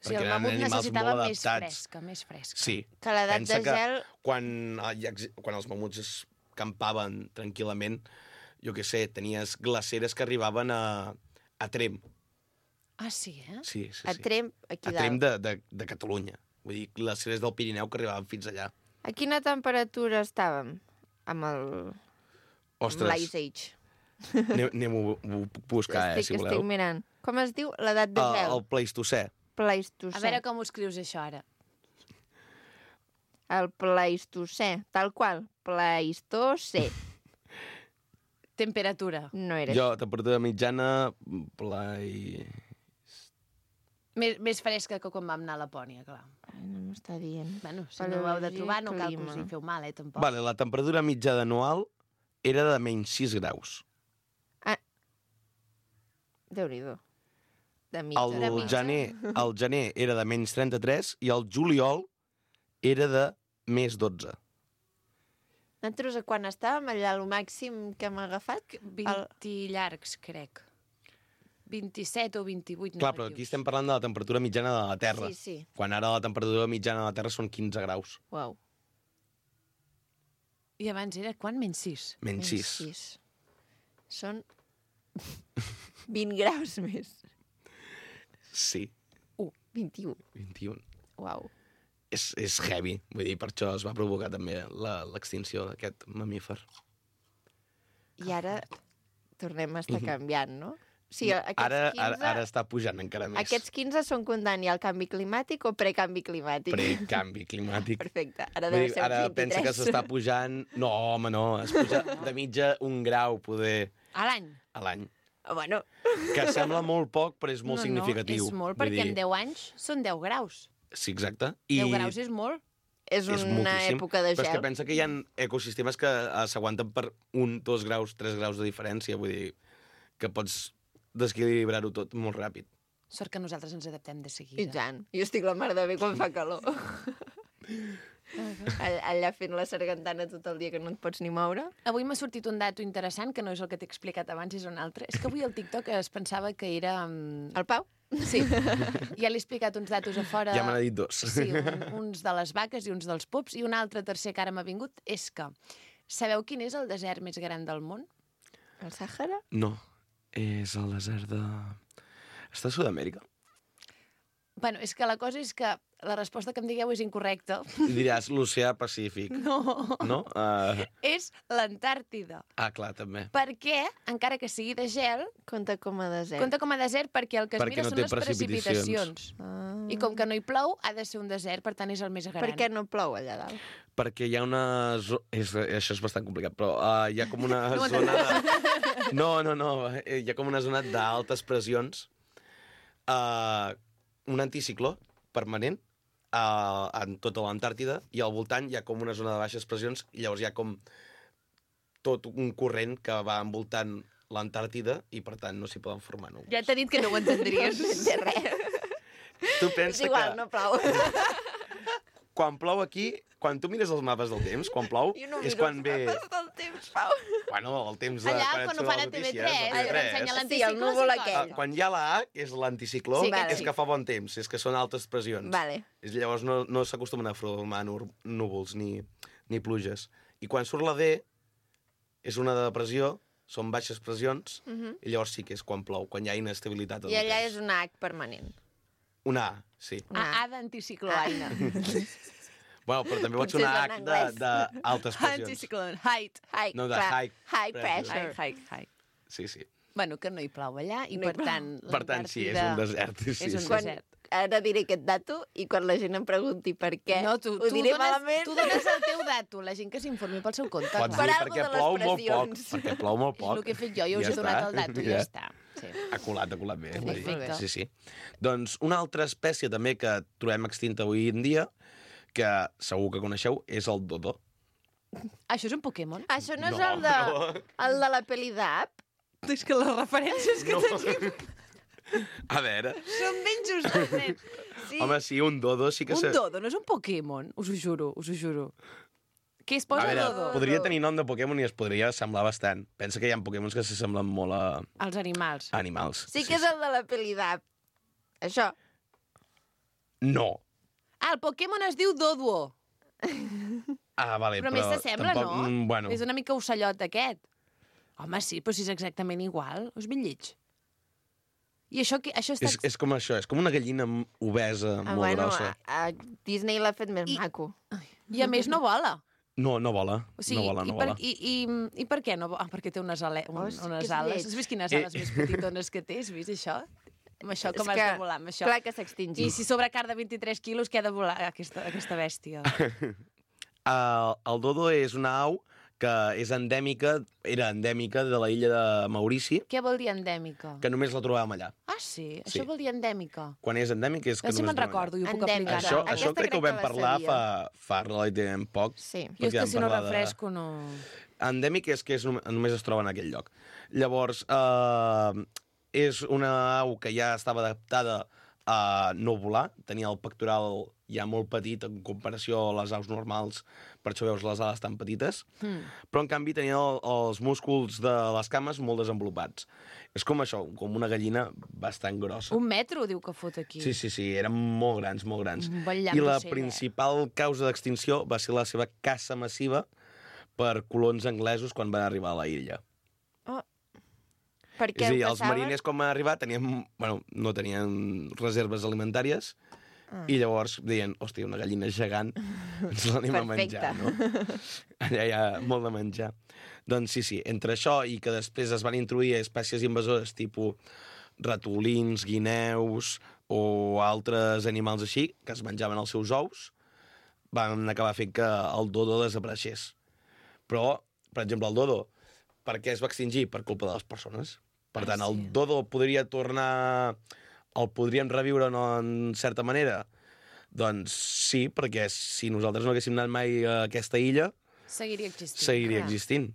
O sigui, el eren mamut animals necessitava molt més adaptats. fresca, més fresca. Sí. Que l'edat Pensa de que gel... quan, eh, hi ha ex- quan els mamuts es campaven tranquil·lament. Jo què sé, tenies glaceres que arribaven a, a Tremp. Ah, sí, eh? Sí, sí, A sí. Tremp, aquí A dalt. Tremp de, de, de Catalunya. Vull dir, glaceres del Pirineu que arribaven fins allà. A quina temperatura estàvem amb el amb Ostres, l'Ice Age? anem- anem-ho ho puc buscar, eh, estic, si voleu. estic mirant. Com es diu? L'edat de El, gel? el Pleistocè. Pleistocè. A veure com ho escrius, això, ara. El Pleistocè, tal qual. Pleistocè. Temperatura. No era Jo, temperatura mitjana, plai... Més, més fresca que quan vam anar a Lapònia, clar. Ai, no m'està dient. Bueno, si no ho heu de Paleologia, trobar, no cal que us clima. hi feu mal, eh, tampoc. Vale, la temperatura mitjana anual era de menys sis graus. Déu-n'hi-do. De mitja. El de mitja. gener, el gener era de menys trenta-tres i el juliol era de més dotze. Nosaltres, quan estàvem allà, el màxim que hem agafat... vint llargs, crec. vint-i-set o vint-i-vuit Clar, però aquí estem parlant de la temperatura mitjana de la Terra. Sí, sí. Quan ara la temperatura mitjana de la Terra són quinze graus. Uau. I abans era quan? Menys sis. Menys sis. sis. Són vint graus més. Sí, vint-i-u. vint-i-un. Uau. És, és heavy. Vull dir, per això es va provocar també la- l'extinció d'aquest mamífer. I ara tornem a estar canviant, no? Sí, aquests Ara, quinze... ara, ara està pujant encara més. Aquests quinze són contant ja el canvi climàtic o precanvi climàtic? Precanvi climàtic. Perfecte. Ara Vull deu dir, ser ara vint-i-tres. pensa que s'està pujant... No, home, no. Es puja de mitja un grau, poder, A l'any. a l'any. Bueno, Que sembla molt poc, però és molt no, significatiu. No, és molt, Vull perquè dir, en deu anys són deu graus. Sí, exacte. deu graus és molt. és és una moltíssim. època de Però és que gel. pensa que hi ha ecosistemes que eh, s'aguanten per un, dos graus, tres graus de diferència. Vull dir, que pots desequilibrar-ho tot molt ràpid. Sort que nosaltres ens adaptem de I seguida. tant. Jo estic la mar de bé quan fa calor. All- Allà fent la sargantana tot el dia que no et pots ni moure. Avui m'ha sortit un dato interessant, que no és el que t'he explicat abans, és un altre. És que avui al TikTok es pensava que era... mm, El Pau? Sí, ja l'he explicat uns datos a fora. Ja me n'ha dit dos. Sí, un, uns de les vaques i uns dels pups, i un altre tercer que ara m'ha vingut és que sabeu quin és el desert més gran del món? El Sàhara? No, és el desert de... Està a Sud-amèrica. Bueno, és que la cosa és que la resposta que em digueu és incorrecta. I diràs l'oceà Pacífic. No, No? Uh... és l'Antàrtida. Ah, clar, també. Perquè, encara que sigui de gel, Compta com a desert. compta com a desert perquè el que es Perquè mira no són té les precipitacions. precipitacions. Ah. I com que no hi plou, ha de ser un desert, per tant és el més gran. Per què no plou allà dalt? Perquè hi ha una... Zo... És, això és bastant complicat, però uh, hi ha com una No, no, zona de... No, no, no. eh, Hi ha com una zona d'altes pressions. Uh, un anticicló permanent uh, en tota l'Antàrtida i al voltant hi ha com una zona de baixes pressions i llavors hi ha com tot un corrent que va envoltant l'Antàrtida i per tant no s'hi poden formar núvols. Ja t'he dit que no ho entendries. No sé res. Tu És pensa igual, que no plou. quan plou aquí, quan tu mires els mapes del temps, quan plou, Jo no és miro quan els ve... mapes del temps, Pau. Bueno, el temps de... Allà, quan et quan ho surt fan les a T V notícies, tres, a que T V tres. t'ensenya Sí, l'anticicló. el núvol sí, aquell. Ah, quan hi ha la A, que és l'anticicló, Sí, sí, vale. és que fa bon temps, és que són altes pressions. Vale. És, llavors no, no s'acostumen a formar nur- núvols ni, ni pluges. I quan surt la D, és una depressió, són baixes pressions, i llavors sí que és quan plou, quan hi ha inestabilitat. en I el allà temps. és una H permanent. Una A, sí. A, a d'anticicló, Aina. Bueno, però també pot ser Potser una és en H anglès. de- d'altes pressions. Anticicló, height. High, No, de clar, high high pressure. pressure. High, high, high. Sí, sí. Bueno, que no hi plou allà, i No hi per plou. tant... Per tant, sí, és un desert. Sí, és un sí. Quan, desert. ara diré aquest dato i quan la gent em pregunti per què, No, tu, ho tu, diré dones, malament. tu dones el teu dato, la gent que s'informi pel seu compte. Pots clar. Per dir algo perquè de les plou molt poc. pressions. Perquè plou molt És poc. el que he fet jo, jo us he donat el dato i ja està. Sí. Ha colat, ha colat bé. Perfecte. Sí, sí. Doncs una altra espècie també que trobem extinta avui en dia, que segur que coneixeu, és el dodo. Això és un Pokémon? Això no és No, el, de, no. el de la peli d'App? És que les referències que No. tenim A veure, són ben justes, nen. Sí. home, sí, un dodo sí que... Un se- dodo no és un Pokémon, us ho juro, us ho juro. Què es A posa veure, dodo? podria tenir nom de Pokémon i es podria semblar bastant. Pensa que hi ha Pokémons que s'assemblen molt a Els animals. animals. Sí que és el de la peli d'App. Això. No. Ah, el Pokémon es diu Doduo. Ah, vale, Però, però... més s'assembla, tampoc, no? mm, Bueno, És una mica ocellot aquest. Home, sí, però si és exactament igual. És ben lleig. I això, qui- això està... és, és com això, és com una gallina m- obesa, Ah, molt bueno, grossa. a, a Disney l'ha fet més I- maco. I a més no vola. No, no vola, O sigui, no vola, no i, per, vola. i, i, I per què no vola? Ah, perquè té unes, ale, un, Hosti, que unes és ales. lleig. Has vist quines Eh. ales més petitones que té? Has vist això? Amb això, com És has que, de volar, amb això. Clar que s'extingís. I si sobre car de vint-i-tres quilos, què ha de volar aquesta, aquesta bèstia? Uh, el dodo és una au que és endèmica, era endèmica de la illa de Maurici, Què vol dir endèmica? que només la trobàvem allà. Ah, sí? Sí. Això vol dir endèmica? Quan és endèmic és que Si només me'n la trobem recordo i ho puc Endèmica. aplicar. Això, Aquesta això crec que ho crec vam que la parlar fa, sabia. fa relativament poc. Sí. Jo és perquè que vam si no parlar de- refresco no... Endèmic és que és, nom- només es troba en aquell lloc. Llavors, eh, és una au que ja estava adaptada a no volar, tenia el pectoral ja molt petit en comparació a les aus normals, per això veus les ales tan petites, Hmm. però en canvi tenia el, els músculs de les cames molt desenvolupats. És com això, com una gallina bastant grossa. Un metro, diu que fot aquí. Sí, sí, sí, eren molt grans, molt grans. Un bon llamp I la d'ocell, eh? principal causa d'extinció va ser la seva caça massiva per colons anglesos quan van arribar a la illa. Per És què a dir, ho els caçaven? mariners quan van arribar tenien, bueno, no tenien reserves alimentàries Ah. i llavors deien, hòstia, una gallina gegant, ens l'anem a menjar, no? Allà hi ha molt de menjar. Doncs sí, sí, entre això i que després es van introduir espècies invasores tipus ratolins, guineus o altres animals així, que es menjaven els seus ous, van acabar fent que el dodo desapareixés. Però, per exemple, el dodo, per què es va extingir? Per culpa de les persones. Per tant, Ah, sí. el dodo podria tornar... El podríem reviure no, en certa manera? Doncs sí, perquè si nosaltres no haguéssim anat mai a aquesta illa, Seguiria existint. seguiria clar. existint.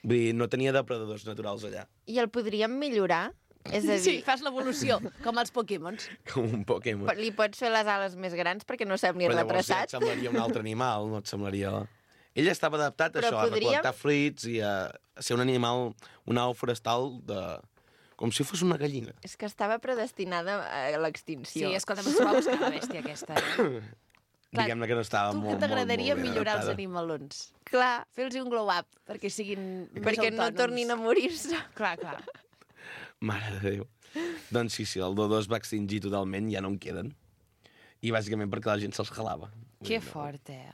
Vull dir, no tenia depredadors naturals allà. I el podríem millorar? És a dir, Sí, fas l'evolució, com els Pokémons. Com un Pokémon. po- li pots fer les ales més grans perquè no sembli Però llavors ja retrasat? et semblaria un altre animal, no et semblaria... Ell estava adaptat a Però això, a podríem- recol·lectar fruits i a, a ser un animal, un au forestal de... com si fos una gallina. És que estava predestinada a Sí, l'extinció. escolta'm, s'ho va buscar la bèstia aquesta. Eh? Clar, Diguem-ne que no estava Tu molt, que molt, t'agradaria molt ben millorar els adaptada. animalons? Clar, Fer-los un glow-up perquè siguin més perquè no autònoms. tornin a morir-se. Clar, clar. Mare de Déu. Doncs sí, sí, el dodo es va extingir totalment, ja no en queden. I bàsicament perquè la gent se'ls jalava. Que fort, eh?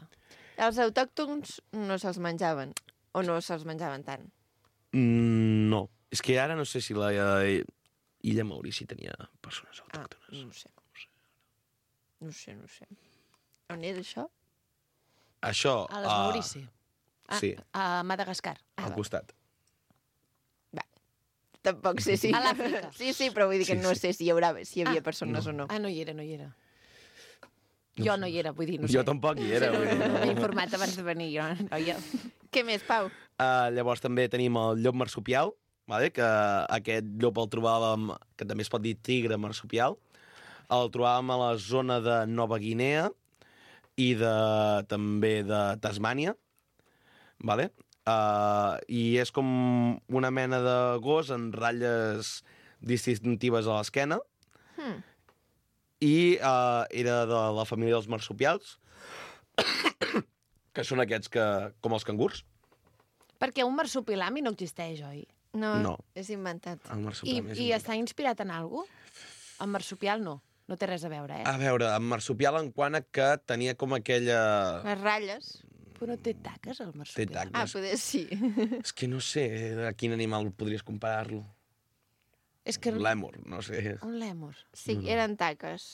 Els autòctons no se'ls menjaven. O no se'ls menjaven tant. Mm, no. És que ara no sé si la eh, illa Maurici tenia persones Ah, autòctones. no ho sé. No ho sé, no ho sé. On és això? Això... A les ah, Maurici. Ah, sí, A Madagascar. Ah, al va. costat. Va. Tampoc sé si... A l'Àfrica. Sí, sí, però vull dir que Sí, no sí. sé si hi, haurà, si hi havia Ah, persones o no. Ah, no hi era, no hi era. No jo sé, no hi era, vull dir, no jo sé. tampoc hi era. No, vull dir, no, no. m'he informat abans de venir, jo. Noia. Què més, Pau? Uh, llavors també tenim el llop marsupial, vale? Que aquest llop el trobàvem, que també es pot dir tigre marsupial, el trobàvem a la zona de Nova Guinea i de, també de Tasmània, vale? Uh, i és com una mena de gos amb ratlles distintives a l'esquena, Hmm. i uh, era de la família dels marsupials, que són aquests que, com els cangurs. Perquè un marsupilami no existeix, oi? No, No. és inventat. El I, marsupial més i important. està inspirat en alguna cosa? En marsupial no. No té res a veure, eh? A veure, amb marsupial en quant a que tenia com aquella... Les ratlles. Però no té taques, el marsupial. taques. Ah, poder sí. És que no sé a quin animal podries comparar-lo. És que... L'èmur, no sé. Un lèmur. Sí, eren taques.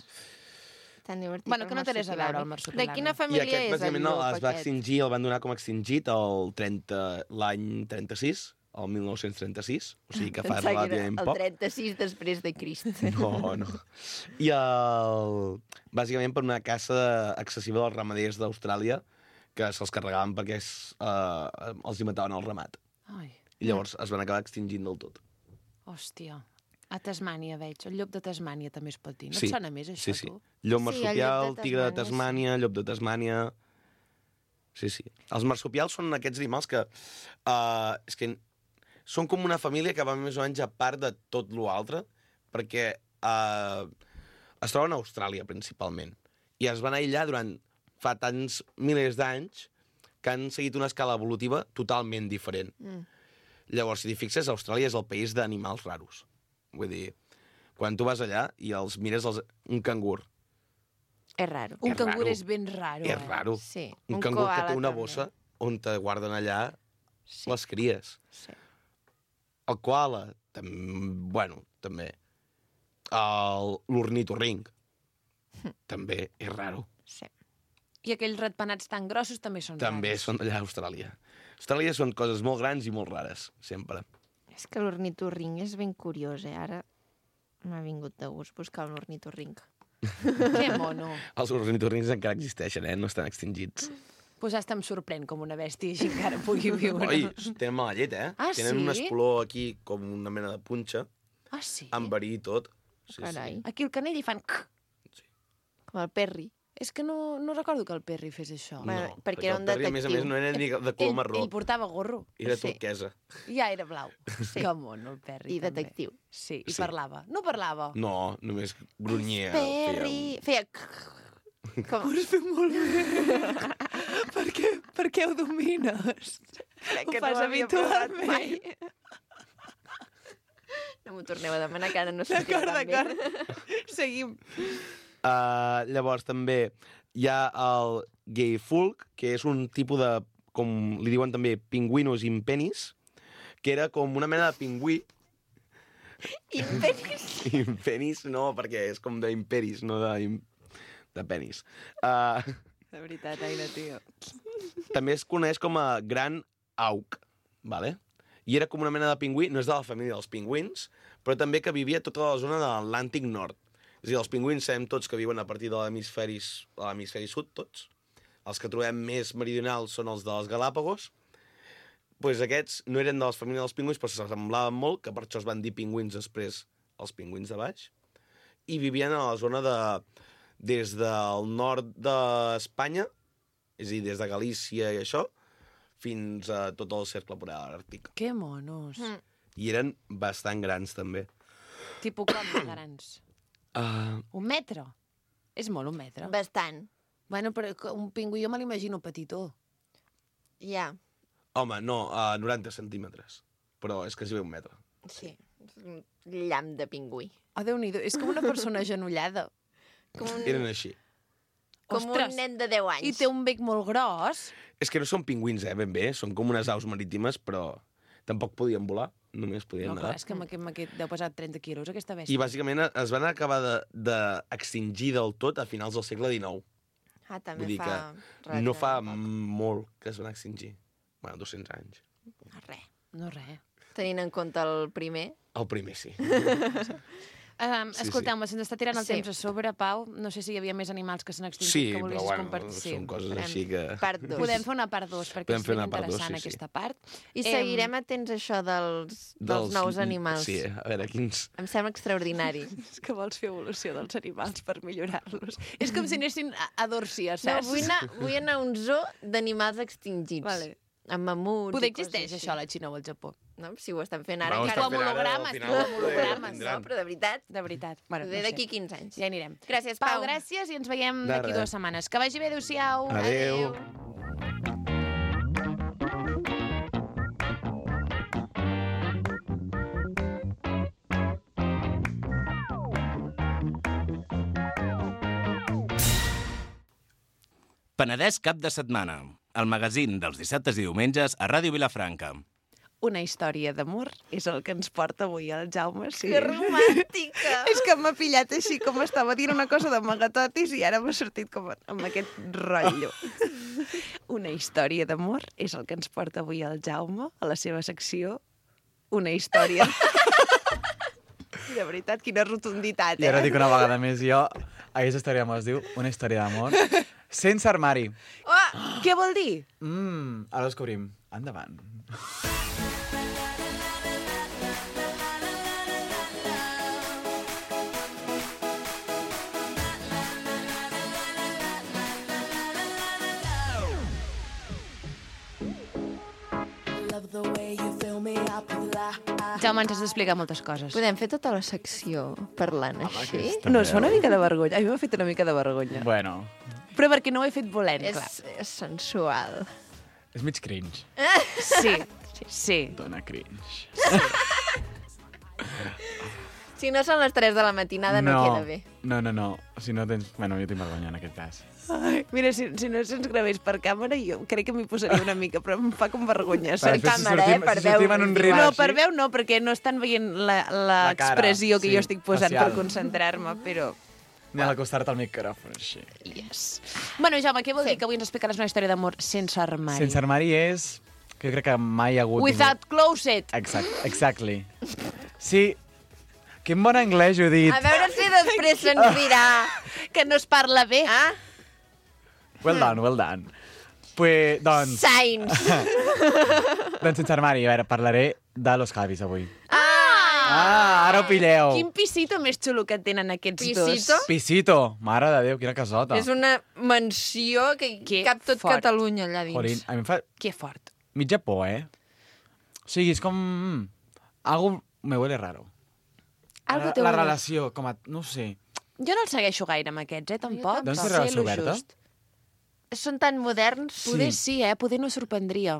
Tan divertit. Bueno, el que no té res a veure, el marsupilami. De marsupilami. quina I família aquest, és el bàsicament, no, llop, es va aquest? extingir, el van donar com a extingit el trenta l'any trenta-sis, el mil nou-cents trenta-sis, o sigui que fa Pensava que era relativament el poc. trenta-sis després de Crist. No, no. I el... bàsicament per una caça excessiva dels ramaders d'Austràlia, que se'ls carregaven perquè es, eh, els hi mataven el ramat. Ai, I llavors es van acabar extingint del tot. hòstia. A Tasmània, veig. El llop de Tasmània també es pot dir. No Sí, et sona més, això, Sí, sí. tu? Llop Sí, el marsupial, llop de tigre de Tasmània, Tasmània, llop de Tasmània... Sí, sí. Els marsupials són aquests animals que... Uh, és que són com una família que va més o menys a part de tot l'altre, perquè uh, es troben a Austràlia, principalment. I es van aïllar durant fa tants milers d'anys que han seguit una escala evolutiva totalment diferent. Mm. Llavors, si t'hi fixes, Austràlia és el país d'animals raros. Vull dir, quan tu vas allà i els mires els... un cangur, És raro. Un És cangur raro. és ben raro, és eh? raro. Sí. Un, Un cangur que koala té una també. bossa on te guarden allà Sí. les cries. Sí. El koala, tam... bueno, també. El- L'ornitorrinc, també és raro. Sí. I aquells ratpenats tan grossos també són També raros. són d'allà a Austràlia. A Austràlia són coses molt grans i molt rares, sempre. És que l'ornitorrinc és ben curiós, eh? Ara m'ha vingut de gust buscar un ornitorrinc. Que mono. Els ornitorrincs encara existeixen, eh? No estan extingits. Pues hasta em sorprèn com una bèstia així encara pugui viure. Oi, tenen mala llet, eh? Ah, tenen sí? un espolor aquí com una mena de punxa, Ah, sí? amb verí i tot. Sí, Carai. sí. Aquí el canell hi fan... Com el Perry. És que no, no recordo que el Perry fes això. No, Bueno, perquè era un el Perry, a més a més, detectiu. no era ni de color ell, marró, ell portava gorro. era Sí. turquesa. Ja era blau. Sí. Que mono, el Perry. I també. detectiu. Sí, i Sí. parlava. No parlava. No, només grunyia. Perry... Feia... Com... Ho has fet molt bé. per, què, per què ho domines? Crec Ho que fas no m'havia provat habitualment. mai. No m'ho torneu a demanar, que ara no sortirà D'acord, tan bé. d'acord. Seguim. Uh, llavors també hi ha el gay folk, que és un tipus de, com li diuen també, pingüinos impenis, que era com una mena de pingüí. Imperis. Impenis no, perquè és com d'imperis, no de, im- de penis. Uh, De veritat, Aina, tio. també es coneix com a gran auc, vale? I era com una mena de pingüí, no és de la família dels pingüins, però també que vivia a tota la zona de l'Atlàntic Nord. És a dir, els pingüins sabem tots que viuen a partir de l'hemisferi de l'hemisferi sud, tots. Els que trobem més meridionals són els dels Galàpagos. Pues aquests no eren de les famílies dels pingüins, però s'assemblaven molt, que per això es van dir pingüins després els pingüins de baix. I vivien a la zona de... des del nord d'Espanya, és a dir, des de Galícia i això, fins a tot el cercle polar àrtic. Que monos. Mm. I eren bastant grans, també. Tipo com de grans. Uh, Un metre. És molt un metre. Bastant. Bueno, però que un pingüí jo me l'imagino petitó. Ja. home, no, a noranta centímetres. Però és quasi bé un metre. Sí. És un llamp de pingüí. Oh, Déu-n'hi-do, és com una persona agenollada. Com un, Eren així. com Ostres. un nen de deu anys. I té un bec molt gros. És que no són pingüins, eh, ben bé. Són com unes aus marítimes, però tampoc podien volar. Només podien No, clar, nedar. és que amb aquest, amb aquest deu pesar trenta quilos, aquesta bèstia. I bàsicament es van acabar d'extingir de, del tot a finals del segle dinou. Ah, també Vull dir fa... que no fa poc. molt que es van extingir. Bueno, dos-cents anys. No, res. No, res. Tenint en compte el primer. El primer, sí. Um, Sí, Escolteu-me, se'ns està tirant el Sí. temps a sobre, Pau. No sé si hi havia més animals que s'han extingit Sí, que però volguessis bueno, compartir. Sí. són coses Farem així que... Part dos. Podem fer una part dos, perquè Podem és fer ben una part dos, interessant sí, sí. aquesta part. I Em, seguirem atents a això dels, dels nous animals. Sí, a veure, quins... Em sembla extraordinari. És que vols fer evolució dels animals per millorar-los. És com si anessin a, a Dòrcia, No, saps? vull anar, vull anar a un zoo d'animals extingits. Vale. Amb mamuts Poder i coses existeix, així. això, a la Xina o al Japó. No? Si ho estan fent ara. Va, ho encara- estan fent ara, hologrames, al tu, final amb hologrames, No, tindran. però de veritat, De veritat. Bueno, poder no sé. d'aquí quinze anys. Ja anirem. Gràcies, Pau, Pau. gràcies i ens veiem De d'aquí res. dues setmanes. Que vagi bé, adéu-siau. Adéu. Penedès cap de setmana, el magazín dels dissabtes i diumenges a Ràdio Vilafranca. Una història d'amor és el que ens porta avui el Jaume. Sí. Que romàntica! És que m'ha pillat així, com estava dient una cosa de magatotis i ara m'ha sortit com amb aquest rotllo. Una història d'amor és el que ens porta avui el Jaume a la seva secció Una història. De veritat, quina rotunditat, I ara eh? dic una vegada més jo, aquesta història d'amor es diu Una història d'amor sense armari. Oh, què vol dir? Mmm, ara ho descobrim. Endavant. Jaume, ens has d'explicar moltes coses. Podem fer tota la secció parlant així? No, es fa una mica de vergonya. A mi m'ha fet una mica de vergonya. Bueno, Però perquè no ho he fet volent, clar. És, és sensual. És mig cringe. Sí, sí. Dona cringe. Si no són les tres de la matinada, no, queda bé. No, no, no. Si no tens... Bueno, jo tinc vergonya en aquest cas. Ai, mira, si, si no se'ns gravés per càmera, jo crec que m'hi posaria una mica, però em fa com vergonya. Per Per càmera, eh? Per veu. No, per veu no, perquè no estan veient l'expressió que sí, jo estic posant facial. per concentrar-me, però... Ni a l'acostar-te al micròfon, així. Yes. Bueno, Jaume, què vol dir que avui ens explicaràs una història d'amor sense armari? Sense armari és... Que jo crec que mai hi ha hagut... Without closet. Exact, exactly. Sí, quin bon anglès ho he dit. A veure si després se'ns dirà que no es parla bé. Ah? Well done, well done. Pues, doncs... Science. doncs sense armari, a veure, parlaré de los Javis avui. Ah! Ah, ara ho pilleu. Quin pisito més xulo que tenen aquests Pisito? dos. Pisito, mare de Déu, quina casota. És una mansió que Que cap tot fort. Catalunya allà dins. Jolín, a mi em fa Que fort. mitja por, eh? O sigui, és com... Algo me huele raro. Algo la, te la huele. relació, com a... No ho sé. Jo no el segueixo gaire amb aquests, eh, tampoc. Doncs té Sé relació lo oberta? just. Són tan moderns. Poder sí, eh? Poder no sorprendria.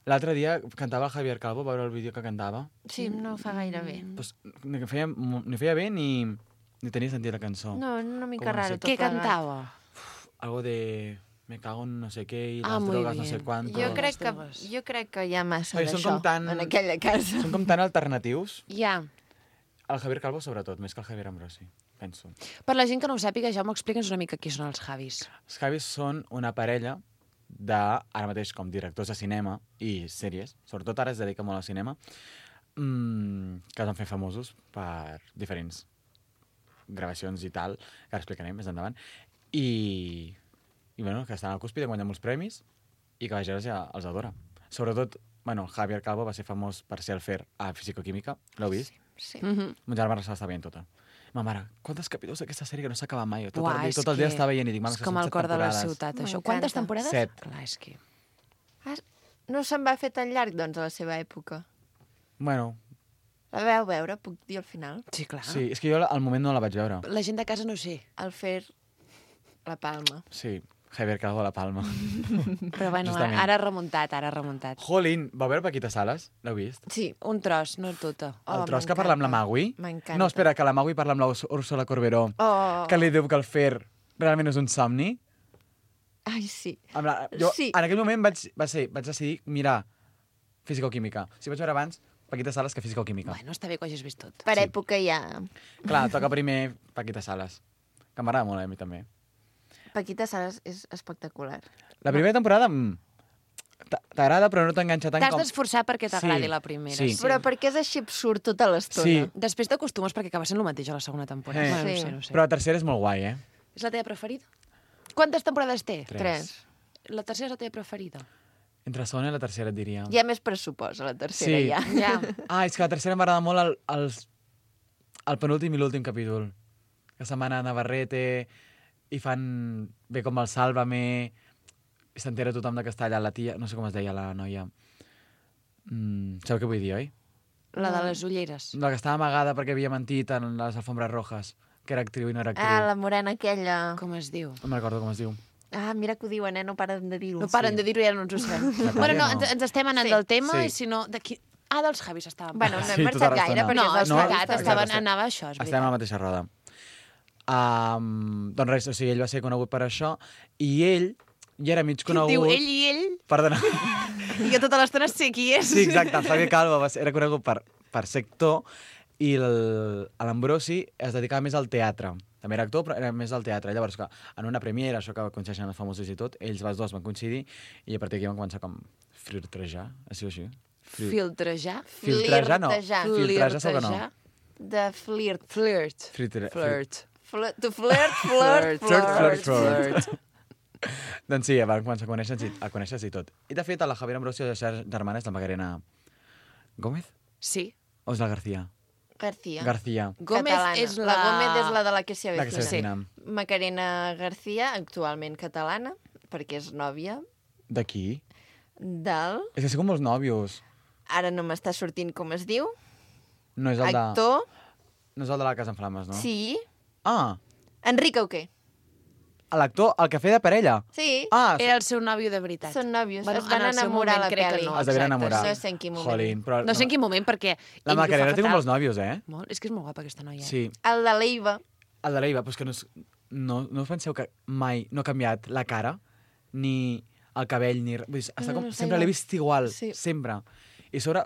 L'altre dia cantava el Javier Calvo, va veure el vídeo que cantava. Sí, no fa gaire bé. Pues, ni, feia, ni feia bé ni, ni tenia sentit la cançó. No, una mica Com a raro ser- tot Què plegat. cantava? Algo de... Me cago en no sé què i Ah, les muy drogues no bien. sé quanto. Jo crec, que, drogues. jo crec que hi ha massa Ai, són d'això com tan- en aquella casa. Són com tan alternatius. Ja. El Javier Calvo, sobretot, més que el Javier Ambrosi, penso. Per la gent que no ho sàpiga, Jaume, explica'ns una mica qui són els Javis. Els Javis són una parella de, ara mateix, com directors de cinema i sèries, sobretot ara es dedica molt al cinema, mmm, que es van fer famosos per diferents gravacions i tal, que ara explicarem més endavant, i, i bueno, que estan al cúspide, guanyen molts premis, i que la gent els, els adora. Sobretot, bueno, Javier Calvo va ser famós per ser el Fer a Fisicoquímica, l'heu vist? Sí. Mm -hmm. Mon germà se l'està veient tota. Ma mare, quants capítols d'aquesta sèrie que no s'acaba mai? Tot, Uà, el, dia, és tot el dia que està veient i dic, mama, és que com són el set cor de la temporades. ciutat, això. M'encanta. Quantes temporades? Set. Clar, és que... Ah, no se'n va fer tan llarg, doncs, a la seva època. Bueno, La vau veure, puc dir al final. Sí, clar. sí, és que jo al moment no la vaig veure. La gent de casa no ho sé. El fer la palma. Sí, Javier Calvo a la Palma. Però bueno, Justament. ara ha remuntat, ara ha remuntat. Jolín, va veure Paquita Salas? L'heu vist? Sí. Un tros, no tota. El Oh, tros que parla amb la Magui? M'encanta. No, espera, que la Magui parla amb la Urs- Úrsula Corberó, Oh. que li diu que el Fer realment és un somni. Ai, sí. Amb la, jo, Sí. En aquell moment vaig, va ser, vaig decidir mirar Físico-Química. Si vaig veure abans Paquita Salas que Físico-Química. Bueno, està bé que ho hagis vist tot. Per Sí. època ja... Clar, toca primer Paquita Salas, que m'agrada molt a mi també. Paquita Salas és espectacular. La primera temporada mm, t'a- t'agrada però no t'enganxa tant T'has com... d'esforçar perquè t'agradi Sí, la primera. sí. Però perquè és així absurd tota l'estona. Sí. Després t'acostumes perquè acaba sent el mateix a la segona temporada. Eh. Bueno, no Sí. sé, no sé. Però la tercera és molt guai, eh? És la teva preferida? Quantes temporades té? Tres. Tres. La tercera és la teva preferida. Entre la segona i la tercera et diria. Hi ha més pressupost a la tercera, Sí. ja. Ja. Ah, és que la tercera m'agrada molt el, els, el penúltim i l'últim capítol. Que se'n van a Navarrete i fan bé com el Sálvame i s'entera tothom de que està allà la tia, no sé com es deia la noia. Mm, sabeu què vull dir, oi? La de les ulleres. La que estava amagada perquè havia mentit en les alfombres rojas, que era actriu i no era actriu. Ah, la morena aquella. Com es diu? No me'n recordo com es diu. Ah, mira que ho diuen, eh? No paren de dir-ho. No paren de dir-ho i ja no ens ho sabem. La bueno, no, Tàlia no. ens, ens estem anant Sí. del tema Sí. i si no... D'aquí... Ah, dels Javis estàvem. Bueno, no Sí, hem tota marxat gaire, l'estona. perquè no, és és els no, veritat, Javis. estaven, estem- anava a això, és Estem a veritat. la mateixa roda. Um, doncs res, o sigui, ell va ser conegut per això i ell ja era mig conegut... Diu ell i ell, Perdona. i jo tota l'estona sé qui és. Sí, exacte, el Javier Calvo va ser, era conegut per, per ser actor i el- l'Ambrosi es dedicava més al teatre. També era actor, però era més al teatre. Llavors, que en una premiera, això que coincideixen els famosos i tot, ells els dos van coincidir i a partir d'aquí van començar com flirtejar, així o així. Flir- Filtrejar. Filtrejar no. Flirtejar. Filtrejar segur que no. Flirtejar. De flirt. Flirt. Filtre- Flirt. Flirt. To flirt, flirt, Flirt, flirt. flirt, flirt. Doncs sí, van començar a conèixer-se i, a conèixer i tot. I de fet, a la Javier Ambrosio de ser germana és la Macarena Gómez? Sí. O és la García? García. García. Gómez Catalana. és la... La Gómez és la de la que s'hi La que avecina. s'avecina. Macarena García, actualment catalana, perquè és nòvia De qui? del... És que sé com molts nòvios. Ara no m'està sortint com es diu. No és el de... Actor. No és el de la Casa en Flames, no? Sí. Ah, Enric Auqué. l'actor, el que feia de parella. Sí, Ah, Era el seu nòvio de veritat. són nòvios. Bueno, es van en el seu enamorar a la moment crec que pel·li. no. es devien exacte, enamorar. No sé en quin moment. Jolín, però... No sé en quin moment, perquè... La ell ho fa Macarena té com fatal. molts nòvios, eh? Molt. És que és molt guapa, aquesta noia. Sí. El de l'Eiva. El de l'Eiva, però és que no, és, no, no us penseu que mai no ha canviat la cara, ni el cabell, ni... res. Vull dir, està No, com, no, està sempre l'he igual. vist igual, Sí. sempre. I a sobre,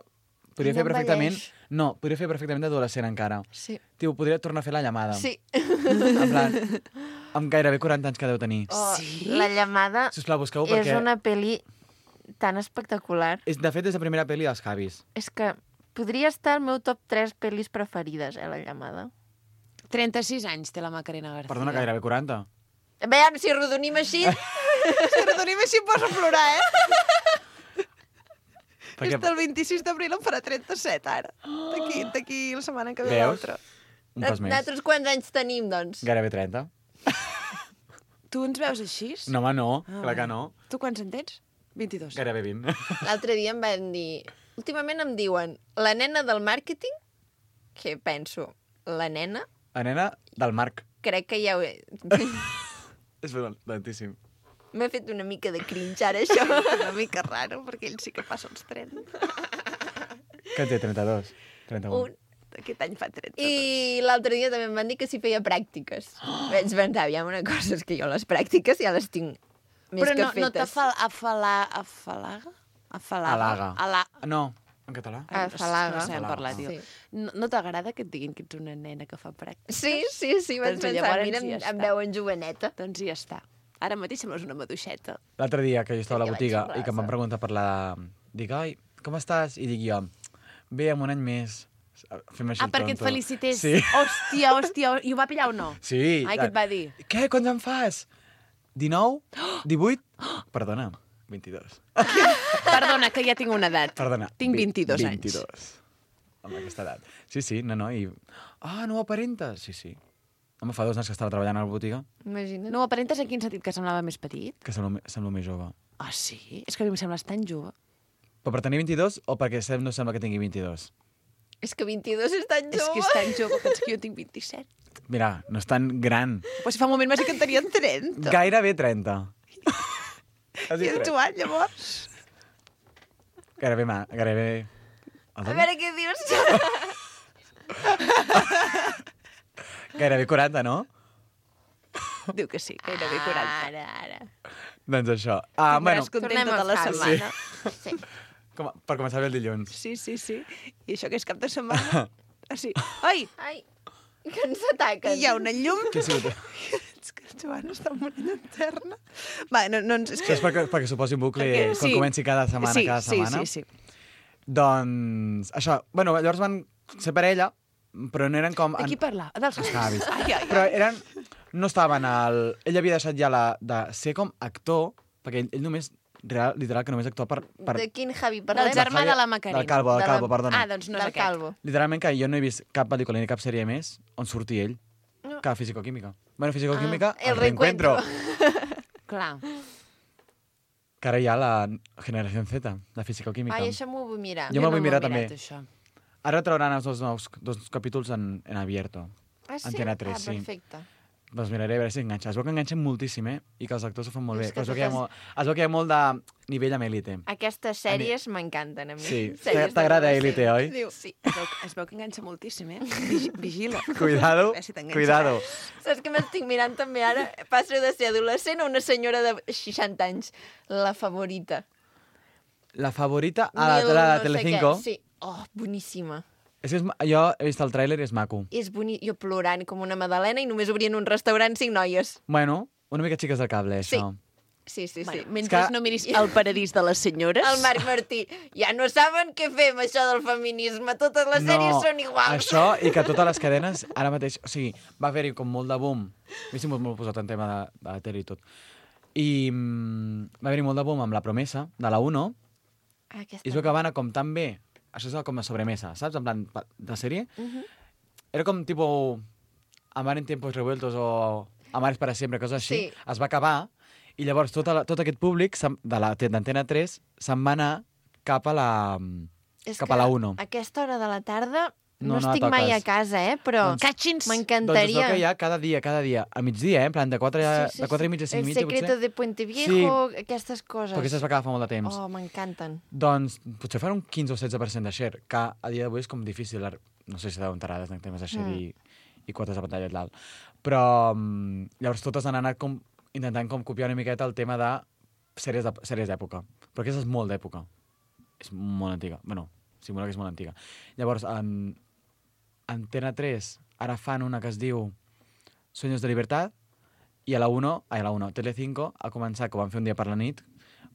podria I fer no perfectament... envelleix. No, podria fer perfectament d'adolescent encara. Sí. Tio, podria tornar a fer la llamada. Sí. En plan, amb gairebé quaranta anys que deu tenir. Oh, Sí? La llamada Sisplau, busqueu-ho és perquè... una pel·li tan espectacular. És, de fet, és la primera pel·li dels Javis. És que podria estar al meu top tres pel·lis preferides, eh, la llamada. trenta-sis anys té la Macarena García. Perdona, gairebé quaranta. Veiem, si rodonim així... Si redonim així em poso a plorar, eh? Perquè, Este el vint-i-sis d'abril em farà trenta-set, ara. D'aquí d'aquí la setmana que ve Veus? l'altra. un pas més. Nosaltres quants anys tenim, doncs? Gairebé trenta. Tu ens veus així? No, home, no. Ah, Clar que vale. no. Tu quants en tens? vint-i-dos. Gairebé vint. L'altre dia em van dir... Últimament em diuen la nena del màrqueting, que penso, la nena, La nena del Marc. crec que ja ho he... És lentíssim. M'ha fet una mica de cringe ara, això. Una mica raro, perquè ell sí que passa els trenta. Que en té trenta-dos? trenta-un. Un. Aquest any fa trenta. I l'altre dia també em van dir que si feia pràctiques. Oh. Vaig pensar, ja una cosa, és que jo les pràctiques ja les tinc més Però que no, no fetes. t'afal... Afala... Afalaga? Afalaga? Alaga. Ala... No, en català. Ah, afalaga. No sé, hem Afalaga. parlat, tio. Sí. No, no t'agrada que et diguin que ets una nena que fa pràctiques? Sí, sí, sí, vaig Doncs pensar, llavors mira, ja em, està. em veuen joveneta. Doncs ja està. Ara mateix sembles una maduixeta. L'altre dia que jo estava a la Que botiga vaig i que em van rasa. preguntar per la... Dic, ai, com estàs? I dic jo, bé, amb un any més. Fem així Ah, el perquè et tonto. felicités. Sí. Hòstia, hòstia, i ho va pillar o no? Sí. Ai, què et va dir? Què, quants en fas? dinou? divuit? Perdona, vint-i-dos. Perdona, que ja tinc una edat. Perdona. Tinc vi- vint-i-dos anys. vint-i-dos. Amb aquesta edat. Sí, sí, no, no, i... Ah, no ho aparentes? Sí, sí. Home, fa dos anys que estava treballant a la botiga, Imagina't. No ho aparentes en quin sentit? Que semblava més petit? que semblo, me- semblo més jove. Ah, sí? És que a mi em sembles tan jove. Però per tenir vint-i-dos o perquè sem- no sembla que tingui vint-i-dos? És que vint-i-dos és tan És jove. que és tan jove, pensa que jo tinc vint-i-set. Mira, no és tan gran. Però si fa un moment m'has dit que en tenien trenta. Gairebé trenta. Has I dit el trenta. Joan, llavors? Gairebé, ma, gairebé... A veure què dius. Gairebé quaranta, no? Diu que sí, gairebé quaranta. Ara, ara. Doncs això. Ah, bueno, Estaràs contenta tornem tota als la Javis. setmana. Sí. com, per començar bé el dilluns. Sí, sí, sí. I això que és cap de setmana? Ah, sí. Ai, Ai, que ens ataquen. hi ha una llum. Què ha sigut? És que el Joan està morint interna. Va, no, no, és Això que... és perquè, perquè suposi un bucle Perquè- quan sí. comenci cada setmana, sí, cada setmana. Sí, sí, sí. Doncs, això, bueno, llavors van ser parella, però no eren com... De qui parla? Dels Els Javis. Ai, ai, Però ai. eren... No estaven al... Ell havia deixat ja la, de ser com actor, perquè ell, ell només, real, literal, que només actua per... per De quin Javi Del parlem? germà de la Macarena. Del Calvo, del De la- Calvo, perdona. Ah, doncs no és Del aquest. Calvo. Literalment que jo no he vist cap pel·lícula ni cap sèrie més on surti ell, No. que Físico-Química. Bueno, Físico-Química, Ah, el el reencuentro. Clar. Que ara hi ha la generació Z, de Físico-Química. Ai, això m'ho vull mirar. Jo me'l vull no mirar m'ho he també. mirat, això. Ara trauran els dos nous dos capítols en, en abierto. Ah, sí? Antena tres, ah, sí. perfecte. Doncs miraré a veure si enganxa. Es veu que enganxen moltíssim, eh? I que els actors ho fan molt bé. És que Però es, veu que hi ha totes- molt, es veu que hi ha molt de nivell amb Elite. Aquestes sèries m'encanten a mi. Sí. Sèries de T'agrada adolescents. Elite, oi? Diu, Sí, es veu, es veu que enganxa moltíssim, eh? Vigi- Vigila. Cuidado, A veure si t'enganxa. cuidado. saps què m'estic mirant també ara? Passo de ser adolescent a una senyora de seixanta anys. La favorita. La favorita a la, Mil la de no sé Telecinco. què. Sí. Oh, boníssima. És que és, ma- jo he vist el tràiler i és maco. És boni... Jo plorant com una madalena i només obrien un restaurant cinc noies. Bueno, una mica xiques del cable, Sí. això. Sí, sí, sí. Bueno, mentre És que- no miris el paradís de les senyores... El Marc Martí. Ja no saben què fem, això del feminisme. Totes les sèries són iguals. Això i que totes les cadenes, ara mateix, o sigui, va haver-hi com molt de boom. A mi sempre m'ho posat en tema de, de la tele i tot. I mm, va haver-hi molt de boom amb La Promesa, de la uno, Ah, aquesta... i es veu que va anar com tan bé. Això és com a sobremesa, saps? En plan, pa- de sèrie. Mhm. Era com tipo Amar en tiempos revueltos o Amares para siempre, coses així. Sí. Es va acabar i llavors tot, la, tot aquest públic se'n- de la d'Antena tres se'n va anar cap a la, És cap que a la uno. A aquesta hora de la tarda No, no, no estic la mai a toques. casa, eh? Però Doncs- Catxins! Doncs es m'encantaria. veu que hi ha cada dia, cada dia, a migdia, eh? En plan, de quatre, de quatre i mitja a cinc i El mitja, secreto potser. de Puente Viejo, aquestes coses. Perquè això es va quedar fa molt de temps. Oh, m'encanten. Doncs potser farà un quinze o setze per cent de share, que a dia d'avui és com difícil. ar- No sé si deuen tarades en temes de share Mm. i, i quotes de pantalla i tal. Però mm, llavors totes han anat com, intentant com copiar una miqueta el tema de sèries de- sèries d'època. Però aquesta és molt d'època. És molt antiga. Bueno, simula que és molt antiga. Llavors, en Antena tres ara fan una que es diu Sueños de Libertad i a la uno, ai, a la uno, Telecinco ha començat, que ho van fer un dia per la nit,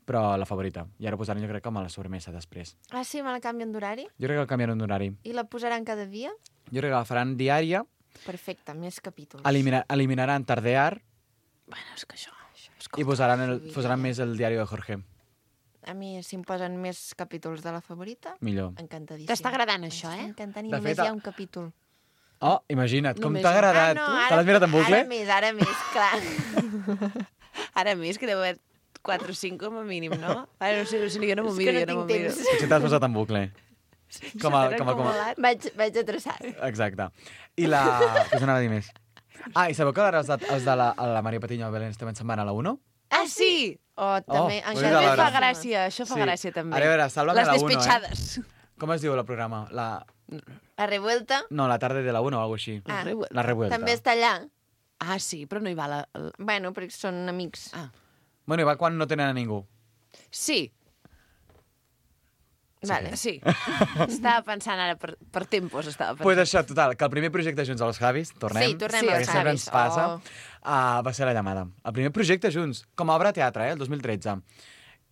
però la favorita. I ara posaran, jo crec, com a la sobremesa després. Ah, sí? Me la canvien d'horari? Jo crec que el canviaran d'horari. I la posaran cada dia? Jo crec que la faran diària, Perfecte, més capítols. elimina, eliminaran Tardear Bueno, és que això... i posaran, el, posaran més el diari de Jorge. A mi, si em posen més capítols de la favorita, Millor. encantadíssim. T'està agradant, això, M'està eh? encantant i De només fet, hi ha a- un capítol. Oh, imagina't, com Només t'ha un. agradat. Ah, Te l'has mirat en bucle? Ara més, ara més, clar. Ara més, que deu haver quatre o cinc com a mínim, no? Ara no sé, no sé, jo no m'ho És miro, que jo no no m'ho tinc miro. temps. Potser t'has posat en bucle. Com a, com a, com a... Vaig, vaig a traçar. Exacte. I la... Què us anava a dir més? Ah, i sabeu que ara els de, els de la, la Maria Patiño i el Belén Esteban se'n van a la uno? Ah, sí! Oh, també. ho he encara dit a També l'hora. fa gràcia, això fa Sí. gràcia, també. Ara, a veure, Sálvame Les a la uno, eh? despetxades. Com es diu el programa? La... La revuelta No, la tarde de la uno o alguna així. Ah. La revuelta. també està allà. Ah, sí, però no hi va la... la- Bueno, perquè són amics. Ah. Bueno, i va quan no tenen a ningú. Sí, Vale. sí. Estava pensant ara per, per tempos, estava pensant. Pues això, total, que el primer projecte junts als Javis, tornem, Sí, tornem Sí, als perquè sempre Javis. ens passa, Oh. uh, va ser la llamada. El primer projecte junts, com a obra de teatre, eh, el dos mil tretze.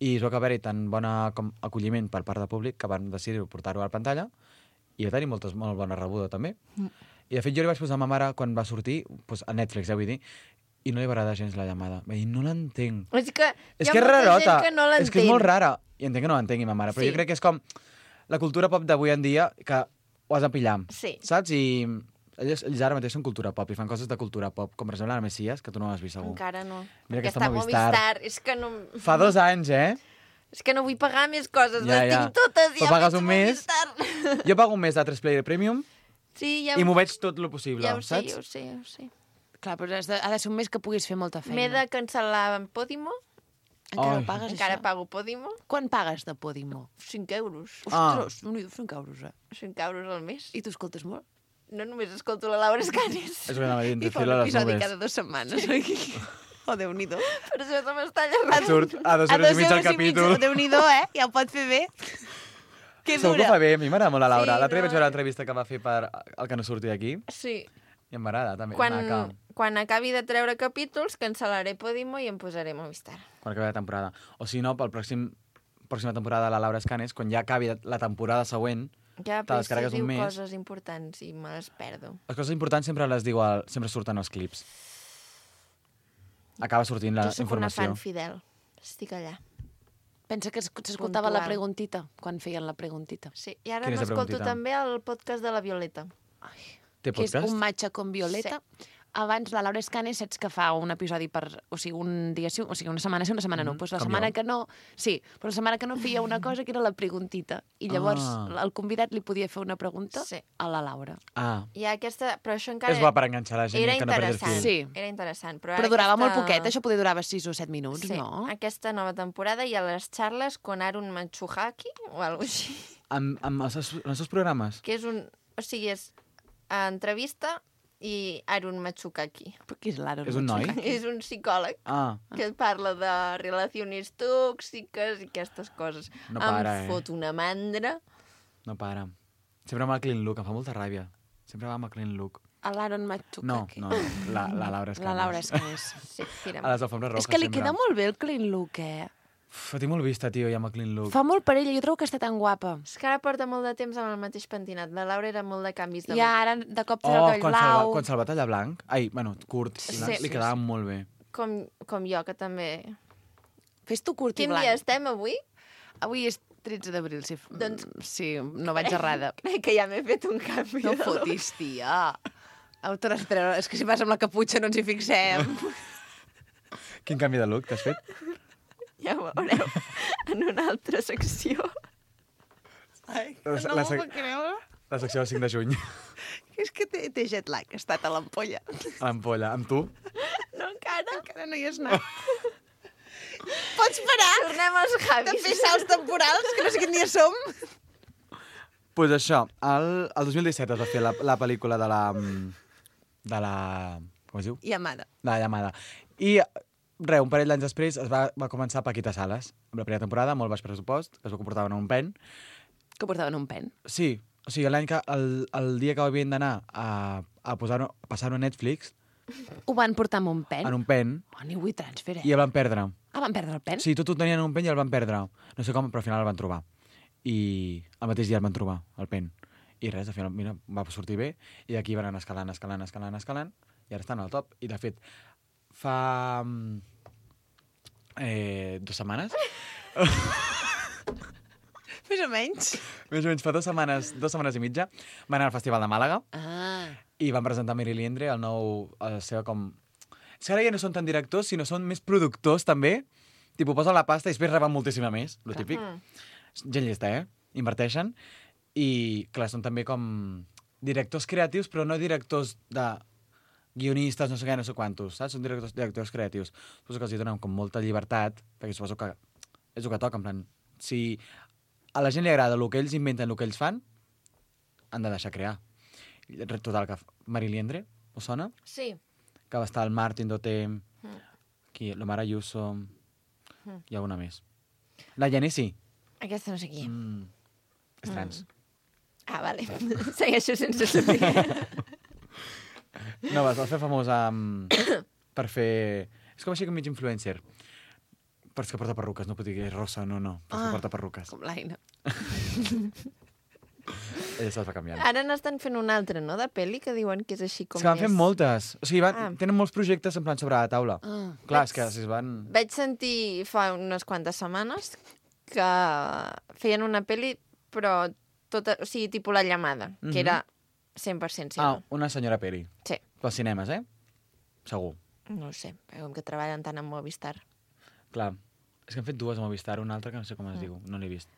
I es veu que va haver-hi tan bona com acolliment per part del públic que van decidir portar-ho a la pantalla i va tenir moltes, molt bona rebuda, també. Mm. I, de fet, jo li vaig posar a ma mare quan va sortir, pues, a Netflix, ja vull dir, i no li va agradar gens la llamada. Va dir, no l'entenc. És que És hi ha que és molta rarota. gent que no és que és l'entén. molt rara. I entenc que no l'entengui ma mare, però Sí. jo crec que és com la cultura pop d'avui en dia que ho has de pillar. Sí. Saps? I ells, ells ara mateix són cultura pop i fan coses de cultura pop, com per exemple la Messias, que tu no l'has vist segur. Encara no. Mira que Perquè està està Movistar. Movistar. És que no... Fa dos anys, eh? És que no vull pagar més coses. Ja, Les ja. tinc totes i Però ja pagues veig un mes. Movistar. Jo pago un mes de tres Player Premium Sí, ja, i m'ho veig tot lo possible, ja ho sé, saps? ja ho sé, ja ho sé. Clar, però has de, ha de ser un mes que puguis fer molta feina. M'he de cancel·lar en Podimo. Encara Ai. ho pagues, Encara això? pago Podimo. Quan pagues de Podimo? cinc euros. Ah. Ostres, no, cinc euros, eh? cinc euros al mes. I tu escoltes molt? No només escolto la Laura Escanes. És el que anava dient, I te fa un filo a les episodi nubes. cada dues setmanes, oi? Oh, Déu-n'hi-do. Per això se m'està allargant. Surt a dos euros i mig al capítol. Déu-n'hi-do, eh? Ja ho pot fer bé. Que Segur que ho dura. fa bé, a mi m'agrada molt la Laura. Sí, L'altre dia no. vaig veure l'entrevista que va fer per el que no surti aquí Sí. i em m'agrada, també. Quan, Maca. quan acabi de treure capítols, cancel·laré Podimo i em posaré Movistar. Quan acabi la temporada. O si no, pel pròxim pròxima temporada de la Laura Escanes, quan ja acabi la temporada següent, Ja, Te però descarregues si diu un mes. coses importants i me les perdo. les coses importants sempre les diu, al, sempre surten als clips. Acaba sortint la jo sóc una informació. fan fidel. Estic allà. Pensa que es- s'escoltava la Puntual. preguntita, quan feien la preguntita. Sí. I ara Quina és la m'escolto preguntita? també el podcast de la Violeta. Té Que és podcast? un matxa con Violeta. Abans la Laura Escanes saps que fa un episodi per... O sigui, un dia sí, o sigui, una setmana sí, una setmana no. Mhm, Pues la com setmana jo. que no... Sí, però la setmana que no feia una cosa que era la preguntita. I llavors Ah. el convidat li podia fer una pregunta Sí. a la Laura. Ah, I aquesta... Però això encara... és bo per enganxar la gent Era i que no perdi el interessant. fil. Sí. Era interessant. Però, Però ara durava aquesta... molt poquet, això poder durava sis o set minuts, Sí, no? aquesta nova temporada hi ha les xarles con Arun Matsuhaki o alguna així, Amb, amb els, seus- els seus programes? que és un... O sigui, és entrevista i Arun Matsukaki. Però qui és l'Aaron? És un noi? És un psicòleg Ah, que parla de relacions tòxiques i aquestes coses. No para, em eh? fot una mandra. no para. Sempre amb el clean look, em fa molta ràbia. Sempre va amb el clean look. L'Aaron Matsukaki. No, no, no, la, la Laura Escanes. La Laura Escanes. Sí, tira'm. A les alfombres roques És que li sempre. queda molt bé el clean look, eh? Uf, tinc molt vista, tio, ja amb el clean look. Fa molt per ella, jo trobo que està tan guapa. És que ara porta molt de temps amb el mateix pentinat. La Laura era molt de canvis de I ara de cop té Oh, el cabell quan se'l va, blau. quan se'l va tallar blanc, ai, bueno, curt, Sí, i blanc, sí, li quedava sí. molt bé. look. Com, com jo, que també... Fes tu curt i Quin blanc. dia estem avui? Avui és tretze d'abril, si... Doncs- Sí, no vaig errada. Crec que ja m'he fet un canvi. No de look. fotis, tia. Au, te l'has treure. És que si vas amb la caputxa no ens hi fixem. Quin canvi de look t'has fet? Ja ho veureu en una altra secció. Ai, La- no la m'ho sec- puc creure. La secció del cinc de juny. És que té, té jet lag, ha estat a l'ampolla. A l'ampolla. Amb tu? No, encara. Encara no hi has anat. Pots parar Tornem als de Javis. fer salts temporals, que no sé quin dia som? Doncs pues això, el, el dos mil disset es va fer la, la pel·lícula de la... de la... com es diu? Yamada. De la llamada. I res, un parell d'anys després es va, va començar Paquita Salas, amb la primera temporada, molt baix pressupost, que es va comportar en un pen. Que portaven un pen. Sí, o sigui, l'any que, el, el dia que havien d'anar a, a, posar-ho- a passar-ho a Netflix, Ho van portar amb un pen? en un pen, Oh, ni vull transfer, eh? i el van perdre. Ah, van perdre el pen? Sí, tot ho tenien en un pen i el van perdre. No sé com, però al final el van trobar. I el mateix dia el van trobar, el pen. I res, al final, mira, va sortir bé, i d'aquí van anar escalant, escalant, escalant, escalant, i ara estan al top. I, de fet, fa... mm, eh, dues setmanes... Més o menys. Més o menys fa dues setmanes, dues setmanes i mitja, van anar al Festival de Màlaga Ah. i van presentar Mary Liendre, el nou... La seva com... És que ara ja no són tan directors, sinó són més productors, també. Tipo, posen la pasta i després reben moltíssima més, lo típic. Gent llesta, eh? Inverteixen. I, clar, són també com directors creatius, però no directors de guionistes, no sé què, no sé quantos, saps? Són directors, directors creatius. Suposo que els hi donen com molta llibertat, perquè suposo que és el que toca, en plan... Si a la gent li agrada el que ells inventen, el que ells fan, han de deixar crear. I total, que Mary Liendre, us sona? Sí. Que va estar el Martin Dotem, qui, l'Omar Ayuso, i alguna més. La Genesi. Aquesta no sé qui. Mm, és trans. Ah, vale. Segueixo sense saber. No, es va fer famosa um, per fer... És com així com mig influencer. Però és que porta perruques, no pot dir que és rosa, no, no. Però és Ah. que porta perruques. Com l'Aina. Ella se'ls va canviant. Ara n'estan fent una altra, no?, de pel·li, que diuen que és així com És que van més... fent moltes. O sigui, van, Ah. tenen molts projectes en plan sobre la taula. Ah. Clar, és que si es van... Vaig sentir fa unes quantes setmanes que feien una pel·li, però tota, o sigui, tipus La Llamada, que Mhm. era cent per cent Ah, seva. una senyora peli. Sí. Pels cinemes, eh? Segur. No ho sé, perquè com que treballen tant amb Movistar. Clar. És que han fet dues a Movistar, una altra que no sé com es diu, no l'he vist.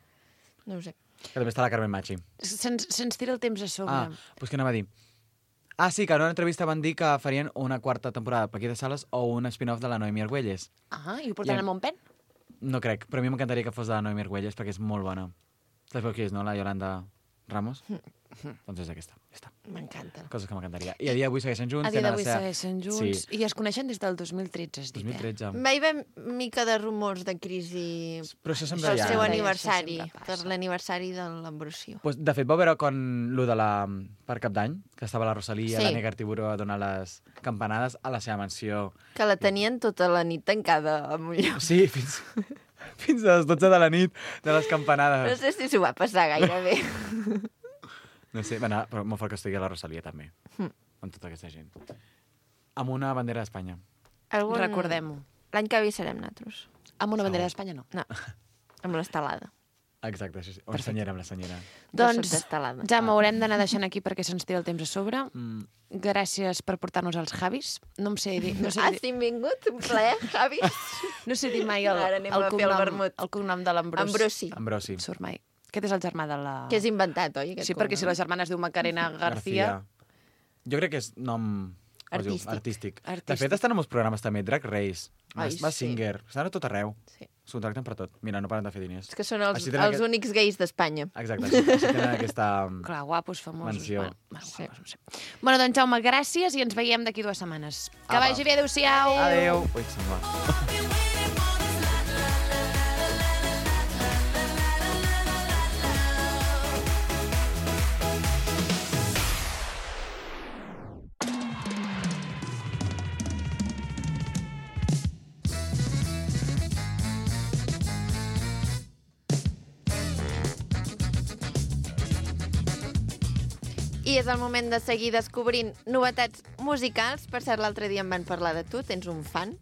No ho sé. Que també està la Carmen Machi. Se'ns se'ns tira el temps a sobre. Ah, doncs què anava a dir? Ah, sí, que en una entrevista van dir que farien una quarta temporada de Paquita Salas o un spin-off de la Noemi Argüelles. Ah, i ho portaran I- amb un pen? No crec, però a mi m'encantaria que fos de la Noemi Argüelles perquè és molt bona. Saps qui és, no? La Yolanda Ramos? Doncs és aquesta. Ja està. M'encanta. Coses que m'encantaria. I a dia d'avui segueixen junts. A dia tenen d'avui la seva- segueixen junts. Sí, I es coneixen des del dos mil tretze, has dit, dos mil tretze. Va haver mica de rumors de crisi Però això sempre pel hi ha. seu Això aniversari, sempre passa. per l'aniversari de l'Ambrosio. Pues, de fet, va veure quan lo de la... per Cap d'Any, que estava la Rosalia, Sí. la Negar Tiburó a donar les campanades a la seva mansió. Que la tenien tota la nit tancada en un lloc. Sí, fins, fins a les dotze de la nit de les No campanades. sé si s'ho va passar gaire bé. No sé, va anar, però molt fort que estigui la Rosalia també, Hm. amb tota aquesta gent. Amb una bandera d'Espanya. Algun... Recordem-ho. L'any que ve serem nosaltres. Amb una bandera d'Espanya, no. No, amb l'estelada. Exacte, això sí. O la senyera, amb la senyera. Doncs, d'estelada. ja m'haurem d'anar deixant aquí perquè se'ns tira el temps a sobre. Mm. Gràcies per portar-nos als Javis. No em sé dir, no sé Has dir, vingut? Un plaer, Javi? no sé dir mai el, Ara anem el, a fer el cognom, vermut. el cognom de l'Ambrós. Ambrosi. Ambrosi. Surt mai. Aquest és el germà de la... Que és inventat, oi? aquest Sí, perquè si la cognom? germana es diu Macarena García... Jo crec que és nom... com es diu? Artístic. Artístic. De Artístic. fet, estan en molts programes també, Drag Race, Ai, Mas sí. Singer, estan a tot arreu. Sí. S'ho tracten per tot. Mira, no paren de fer diners. És que són els, Així tenen els aquest- únics gais d'Espanya. Exacte, així, així tenen aquesta... Clar, guapos, famosos. Mansió. Bueno, bueno, guapos, no sé. Bueno, doncs, Jaume, gràcies i ens veiem d'aquí dues setmanes. Que Apa. vagi bé, adéu-siau! Adéu! Ui, se'n va. I és el moment de seguir descobrint novetats musicals. Per cert, l'altre dia em van parlar de tu, tens un fan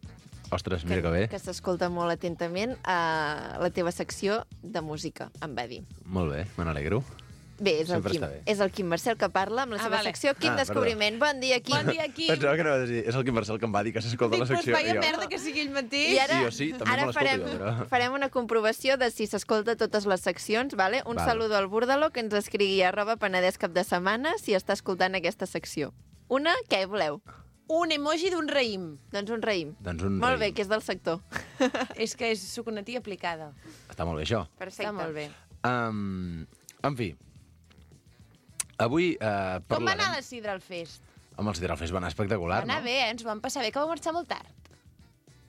Ostres, que, mira que bé. que s'escolta molt atentament a la teva secció de música, em va dir. Molt bé, me n'alegro. Bé, és el, Sempre Quim, està bé. és el Quim Marcel que parla amb la Ah, seva vale. secció Quim Ah, Descobriment. Bon dia, Quim. Bon dia, Quim. Pensava que anaves a dir, és el Quim Marcel que em va dir que s'escolta Dic, la però secció. vaya i jo, merda que sigui ell mateix. I ara, Sí, jo sí, també ara me l'escolto farem, jo, però- farem una comprovació de si s'escolta totes les seccions, vale? Un Val. saludo al Burdalo que ens escrigui arroba Penedès cap de setmana si està escoltant aquesta secció. Una, què voleu? Un emoji d'un raïm. Doncs un raïm. Doncs un Molt bé, raïm. que és del sector. És que és soc una tia aplicada. Està molt bé, això. Perfecte. Està molt bé. Um, en fi, avui uh, Com va parlarem... anar la Sidra al fest? Amb els Sidralfers va anar espectacular, Va anar no? bé, eh? Ens ho vam passar bé, que va marxar molt tard.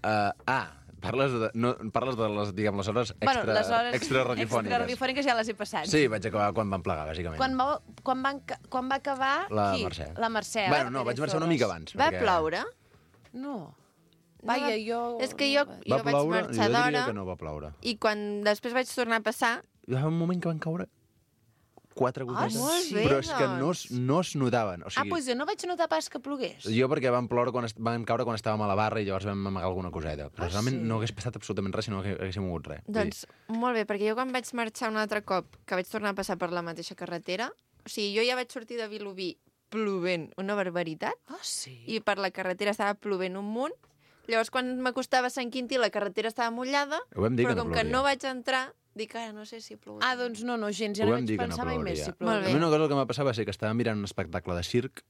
Uh, ah, parles de, no, parles de les, diguem, les hores extra, bueno, les hores extra radiofòniques. extra radiofòniques ja les he passat. Sí, vaig acabar quan van plegar, bàsicament. Quan va, quan, van, ca- quan va acabar... La qui? Mercè. La Mercè. Bueno, no, vaig marxar una mica abans. Va perquè ploure? No. No Vaja, va- jo... És que jo, Va jo vaig ploure? marxar Jo diria d'hora que no va ploure. i quan després vaig tornar a passar... Hi va un moment que van caure quatre gotetes. molt bé, però és que no, es- doncs. no es notaven. O Ah, sigui, doncs jo no vaig notar pas que plogués. Jo perquè van ploure quan est van caure quan estàvem a la barra i llavors vam amagar alguna coseta. Però Ah, realment sí? no hagués passat absolutament res si no hagués- haguéssim mogut res. Vull dir, Doncs molt bé, perquè jo quan vaig marxar un altre cop, que vaig tornar a passar per la mateixa carretera, o sigui, jo ja vaig sortir de Vilobí plovent una barbaritat Ah, sí? i per la carretera estava plovent un munt. Llavors, quan m'acostava a Sant Quintí, la carretera estava mullada, Ho vam dir però que no com que plouria. no vaig entrar, dic, ara no sé si plou. Ah, doncs no, no, gens, ja Ho no vam vaig dir que no pensar mai més plouria. si Molt plouria. A bé. mi una cosa que em va passar va ser que estava mirant un espectacle de circ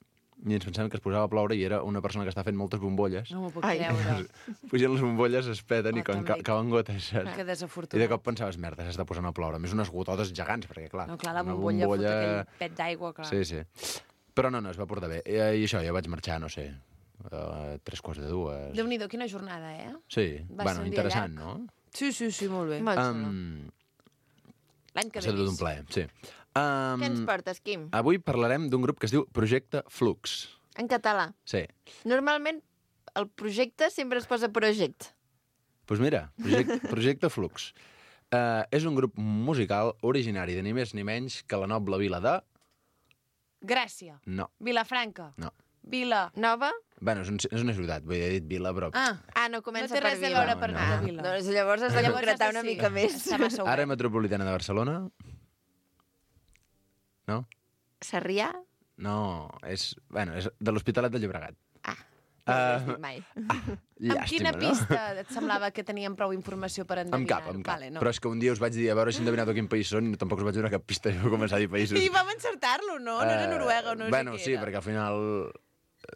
i ens pensàvem que es posava a ploure i era una persona que està fent moltes bombolles. No m'ho puc Ai. creure. Pugen les bombolles, es peten Oh, i quan també. ca cauen gotes, saps? Que I desafortunat. de cop pensaves, merda, s'està posant a ploure. A més, unes gototes gegants, perquè clar... No, clar, la una bombolla, fot aquell pet d'aigua, clar. Sí, sí. Però no, no, es va portar bé. I, i això, jo vaig marxar, no sé, a tres quarts de dues. Déu-n'hi-do, quina jornada, eh? Sí, Va bueno, ser un dia interessant, llarg. no? Sí, sí, sí, molt bé. Molt xulo. Um, L'any que ha estat ve tot un vist. plaer, sí. Um, Què ens portes, Quim? Avui parlarem d'un grup que es diu Projecte Flux. En català. Sí. Normalment, el projecte sempre es posa project. Doncs pues mira, Projecte, Projecte Flux. Uh, és un grup musical originari de ni més ni menys que la noble vila de... Gràcia. No, Vilafranca. no. Vila. Nova? Bueno, és, un, és una ciutat, vull dir, he dit vila, però... Ah, Ah, no comença no té per res a Vila. veure per No, no, no. Vila. Doncs llavors has de Llavors concretar has de una sí. mica més. Està massa obert. Àrea metropolitana de Barcelona? No? Sarrià? No, és... Bueno, és de l'Hospitalet de Llobregat. Ah, Uh, no ho has dit mai. Amb quina no? pista et semblava que teníem prou informació per endevinar? Amb cap, amb cap. Vale, no. Però és que un dia us vaig dir a veure si endevinat a quin país són i tampoc us vaig donar cap pista i vau començar a dir països. I vam encertar-lo, no? No era Eh, Noruega o no bueno, sé sí, què era. perquè al final...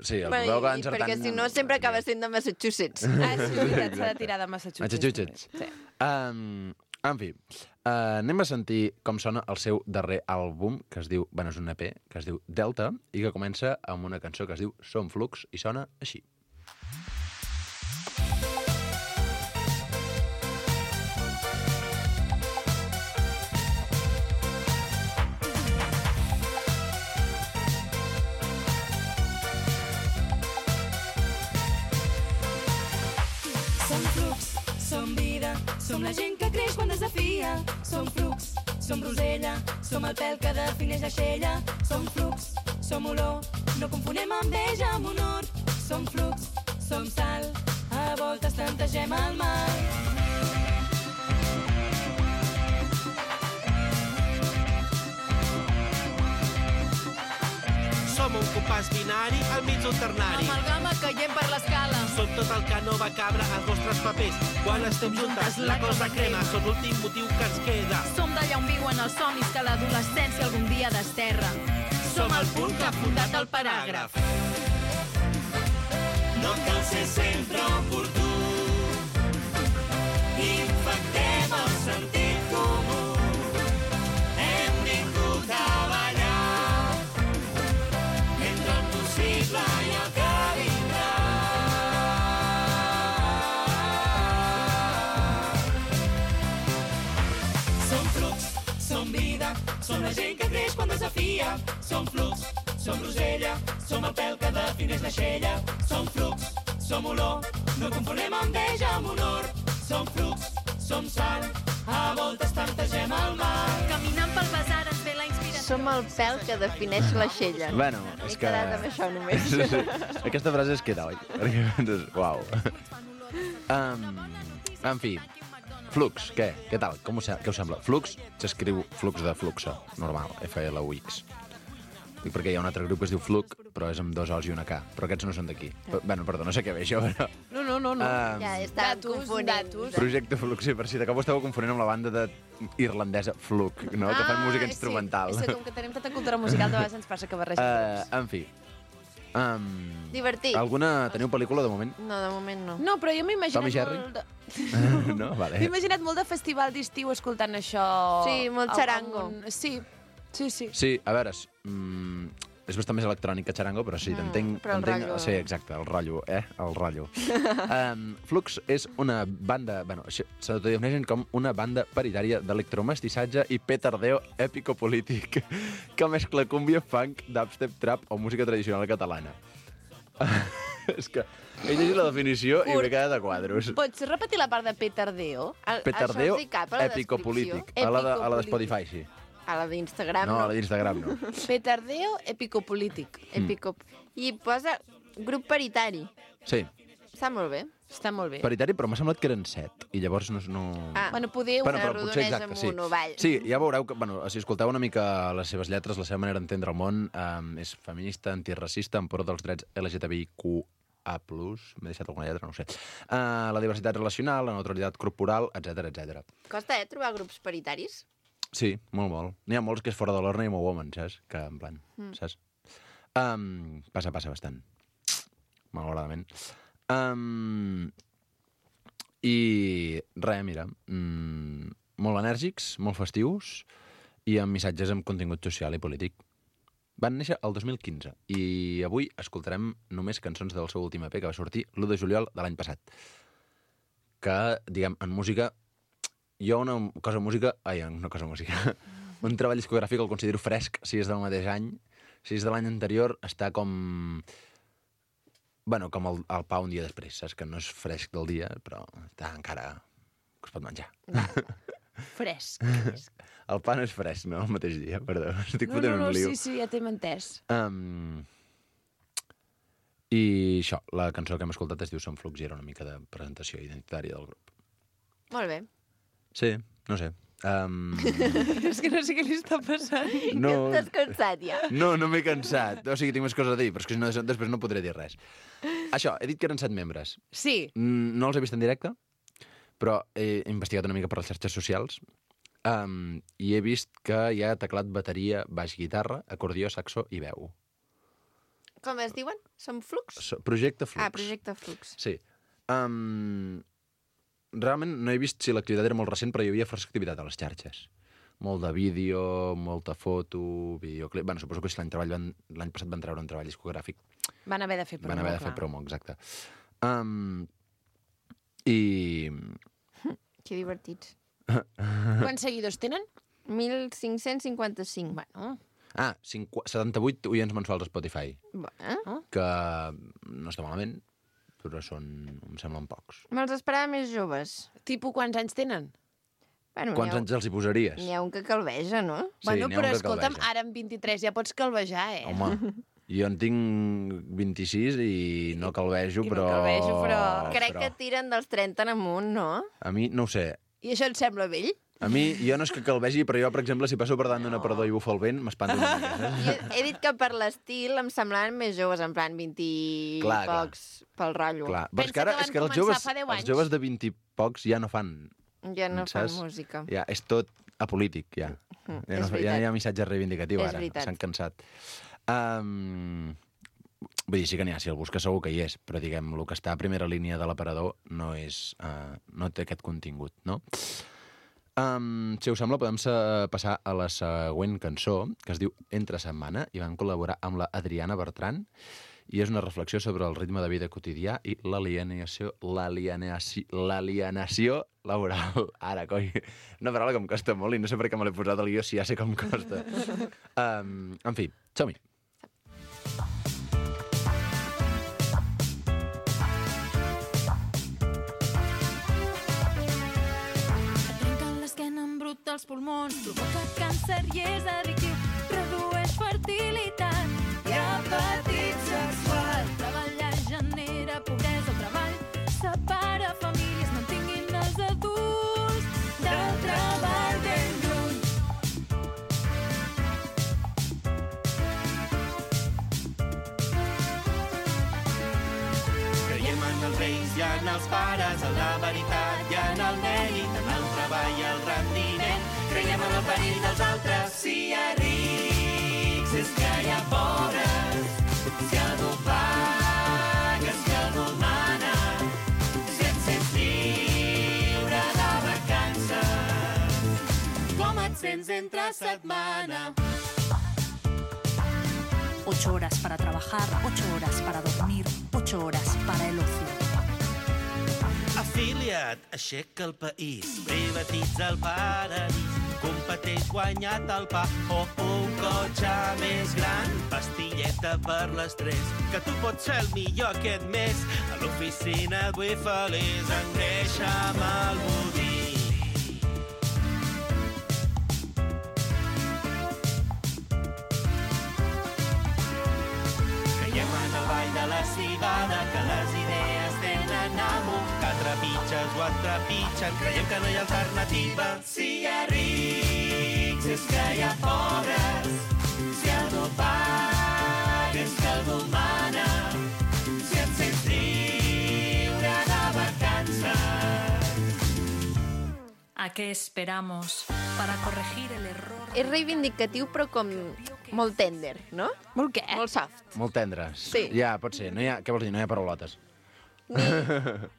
Sí, el Bueno, vau acabar i encertant... perquè si no sempre acaba sent de Massachusetts. Ah, sí, és veritat, s'ha de tirar de Massachusetts. Massachusetts. també. Sí. Um, en fi, uh, anem a sentir com sona el seu darrer àlbum, que es diu, bueno, és un E P, que es diu Delta, i que comença amb una cançó que es diu Som Flux, i sona així. Som flux, som vida, som la gent que creix quan desafia. Som flux, som rosella, som el pèl que defineix la xella. Som flux, som olor, no confonem enveja amb honor. Som flux, som sal, a voltes tantegem el mal. Som un compàs binari al mig d'un ternari. Amalgama caient per l'escala. Som tot el que no va cabre als vostres papers. Quan estem juntes, la cosa crema. Som l'últim motiu que ens queda. Som d'allà on viuen els somnis que l'adolescència algun dia desterra. Som el punt que ha fundat el paràgraf. No cal ser sempre oportú. Infectem el sentit comú. Hem vingut a ballar entre el possible i el que vindrà. Som flux, som vida, som la gent que creix quan desafia. Som flux, som rosella, som el pèl que defineix la xella. Som flux, som olor, no confonem enveja amb honor. Som flux, som sal, a voltes tantegem el mar. Caminant pel basar ens ve la inspiració. Som el pèl que defineix la xella. Bueno, M'he és que... quedat amb això només. Sí, sí. Aquesta frase es queda, oi? Perquè, doncs, uau. Um, en fi, Flux, què? Què tal? Com us, què us sembla? Flux s'escriu flux de fluxa, normal, F L U X. Dic perquè hi ha un altre grup que es diu Fluc, però és amb dos O's i una K. Però aquests no són d'aquí. Però, bueno, perdó, no sé què ve això, però... No, no, no. no. Um, Ja estàvem confonent. datos. Projecte Flux, sí, per si de cop ho estàveu confonent amb la banda de irlandesa Fluc, no? que fan música instrumental. Sí, és que com que tenim tota cultura musical, de vegades ens passa que barregem Uh, tots. en fi. Um, Divertit. Alguna... Teniu pel·lícula, de moment? No, de moment no. No, però jo m'he imaginat Tom i Jerry? molt... De... no? Vale. M'he imaginat molt de festival d'estiu escoltant això... Sí, molt Al- xarango. al- Sí, sí, sí. Sí, a veure, és, mm, és bastant més electrònic que xarango, però sí, t'entenc... però el t'entenc- rotllo- Sí, exacte, el rotllo, eh? El rotllo. um, Flux és una banda... Bueno, això s'autodefineixen com una banda paritària d'electromestissatge i petardeo èpico-polític que mescla cúmbia, funk, dubstep, trap o música tradicional catalana. És que he llegit la definició i m'he quedat a quadros. Pots repetir la part de petardeo? El, Petardeo això els hi cap a la èpico-polític. descripció? A la de, a la de Epicopolític. Spotify, sí. A la d'Instagram, No, no. a la d'Instagram no. Petardeo epicopolític. Épico. I posa grup paritari. Sí, Està molt bé. Està molt bé. paritari, però m'ha semblat que eren set. I llavors no... no... Ah, Bueno, poder... Bueno, una però potser rodonesa exacte, amb sí. un ovall. Sí, ja veureu que, bueno, si escolteu una mica les seves lletres, la seva manera d'entendre el món, um, és feminista, antiracista, en pro dels drets L G T B I Q A plus, m'he deixat alguna lletra, no ho sé. Uh, la diversitat relacional, la neutralitat corporal, etc etc. Costa, eh, trobar grups paritaris? Sí, molt, molt. N'hi ha molts que és fora de l'Orna i molt woman, saps? Que, en plan, Mm. saps? Um, passa, passa bastant. Malauradament. Um, I res, mira, mm, molt enèrgics, molt festius i amb missatges amb contingut social i polític. Van néixer el dos mil quinze i avui escoltarem només cançons del seu últim E P que va sortir l'u de juliol de l'any passat. Que, diguem, en música... Jo una cosa música... Ai, una cosa música... Un treball discogràfic el considero fresc si és del mateix any. Si és de l'any anterior, està com... Bueno, com el, el pa un dia després, saps? Que no és fresc del dia, però està encara... que es pot menjar. Fresc. El pa no és fresc, no? El mateix dia, perdó. Estic No, fotent no, no, un liu. sí, sí, ja t'hem entès. Um, I això, la cançó que hem escoltat es diu Som Flux i era una mica de presentació identitària del grup. Molt bé. Sí, no sé. Um, És que no sé què li està passant. no, Que estàs cansat, ja. no, no m'he cansat. O sigui, tinc més coses a dir, però és que si no, després no podré dir res. Això, he dit que eren set membres. Sí. Mm, No els he vist en directe, però he investigat una mica per les xarxes socials um, i he vist que hi ha teclat, bateria, baix, guitarra, acordió, saxo i veu. Com es diuen? Som Flux? So, projecte Flux. Ah, Projecte Flux. Sí. Um, realment no he vist si l'activitat era molt recent, però hi havia força activitat a les xarxes. Molt de vídeo, molta foto, videoclip... Bueno, suposo que si l'any treball van... l'any passat van treure un treball discogràfic. Van haver de fer promo, Van haver de clar. fer promo, exacte. Um, I... Que divertits. Quants seguidors tenen? mil cinc-cents cinquanta-cinc. Bueno, Ah, cinqu- setanta-vuit oients mensuals a Spotify, Bueno. que no està malament, però són, em semblen pocs. Me'ls esperava més joves. tipus quants anys tenen? Bueno, Quants n'hi ha, anys els hi posaries? N'hi ha un que calveja, no? Sí, bueno, n'hi ha però un que escolta'm, calveja. ara amb vint-i-tres ja pots calvejar, eh? Home, jo en tinc vint-i-sis i no calvejo, I no però... calvejo, però Crec però que tiren dels trenta en amunt, no? A mi, no ho sé. I això et sembla vell? A mi, jo no és que calvegi, però jo, per exemple, si passo per davant d'una parador i bufa el vent, m'espanto una mica, saps? Jo he dit que per l'estil em semblaven més joves, en plan vint i Clar, clar. pocs pel rotllo. Clar, però és que Pensa ara que és que van els començar joves, fa deu els anys. joves de vint i pocs ja no fan... Ja no fan saps? música. Ja, és tot apolític, ja. Mm, Ja és no, ja veritat. no hi ha missatge reivindicatiu, És ara. veritat. S'han cansat. Um, vull dir, sí que n'hi ha, si el busca segur que hi és, però diguem, el que està a primera línia de l'aparador no és... Uh, no té aquest contingut, no? Um, si us sembla, podem sa- passar a la següent cançó, que es diu Entre setmana, i van col·laborar amb la Adriana Bertran, i és una reflexió sobre el ritme de vida quotidià i l'alienació l'alienació l'alienació laboral. Ara, coi, una paraula que em costa molt i no sé per què me l'he posat al guió si ja sé com costa. Um, en fi, som-hi. Trenquen l'esquena en brut dels pulmons, provoca càncer i és addictiu, redueix fertilitat i apetit sexual. Treballar genera pobresa, el treball separa famílies, mantinguin els adults els pares, en la veritat i en el mèrit, en el treball i el rendiment. Creiem en el perill dels altres. Si hi ha rics és que hi ha pobres. Si algú paga és que algú mana. Si et sents lliure de vacances, com et sents entre setmana? Ocho horas para trabajar, ocho horas para dormir, ocho horas para el ocio. Afilia't, aixeca el país, privatitza el paradís, competeix guanyat el pa o un cotxe més gran, pastilleta per l'estrès, que tu pots ser el millor aquest mes. A l'oficina vull feliç, engreixa amb el budí. Creiem en el ball de la civada, que les idees tenen amo, que trepitges o et trepitgen, creiem que no hi ha alternativa. Si hi ha rics és que hi ha pobres, si algú paga és que algú mana, si et sents lliure de vacances. ¿A qué esperamos para corregir el error? És reivindicatiu, però com molt tender, no? Molt què? Molt soft. Molt tendres. Sí. Ja, pot ser. No hi ha, què vols dir? No hi ha paraulotes.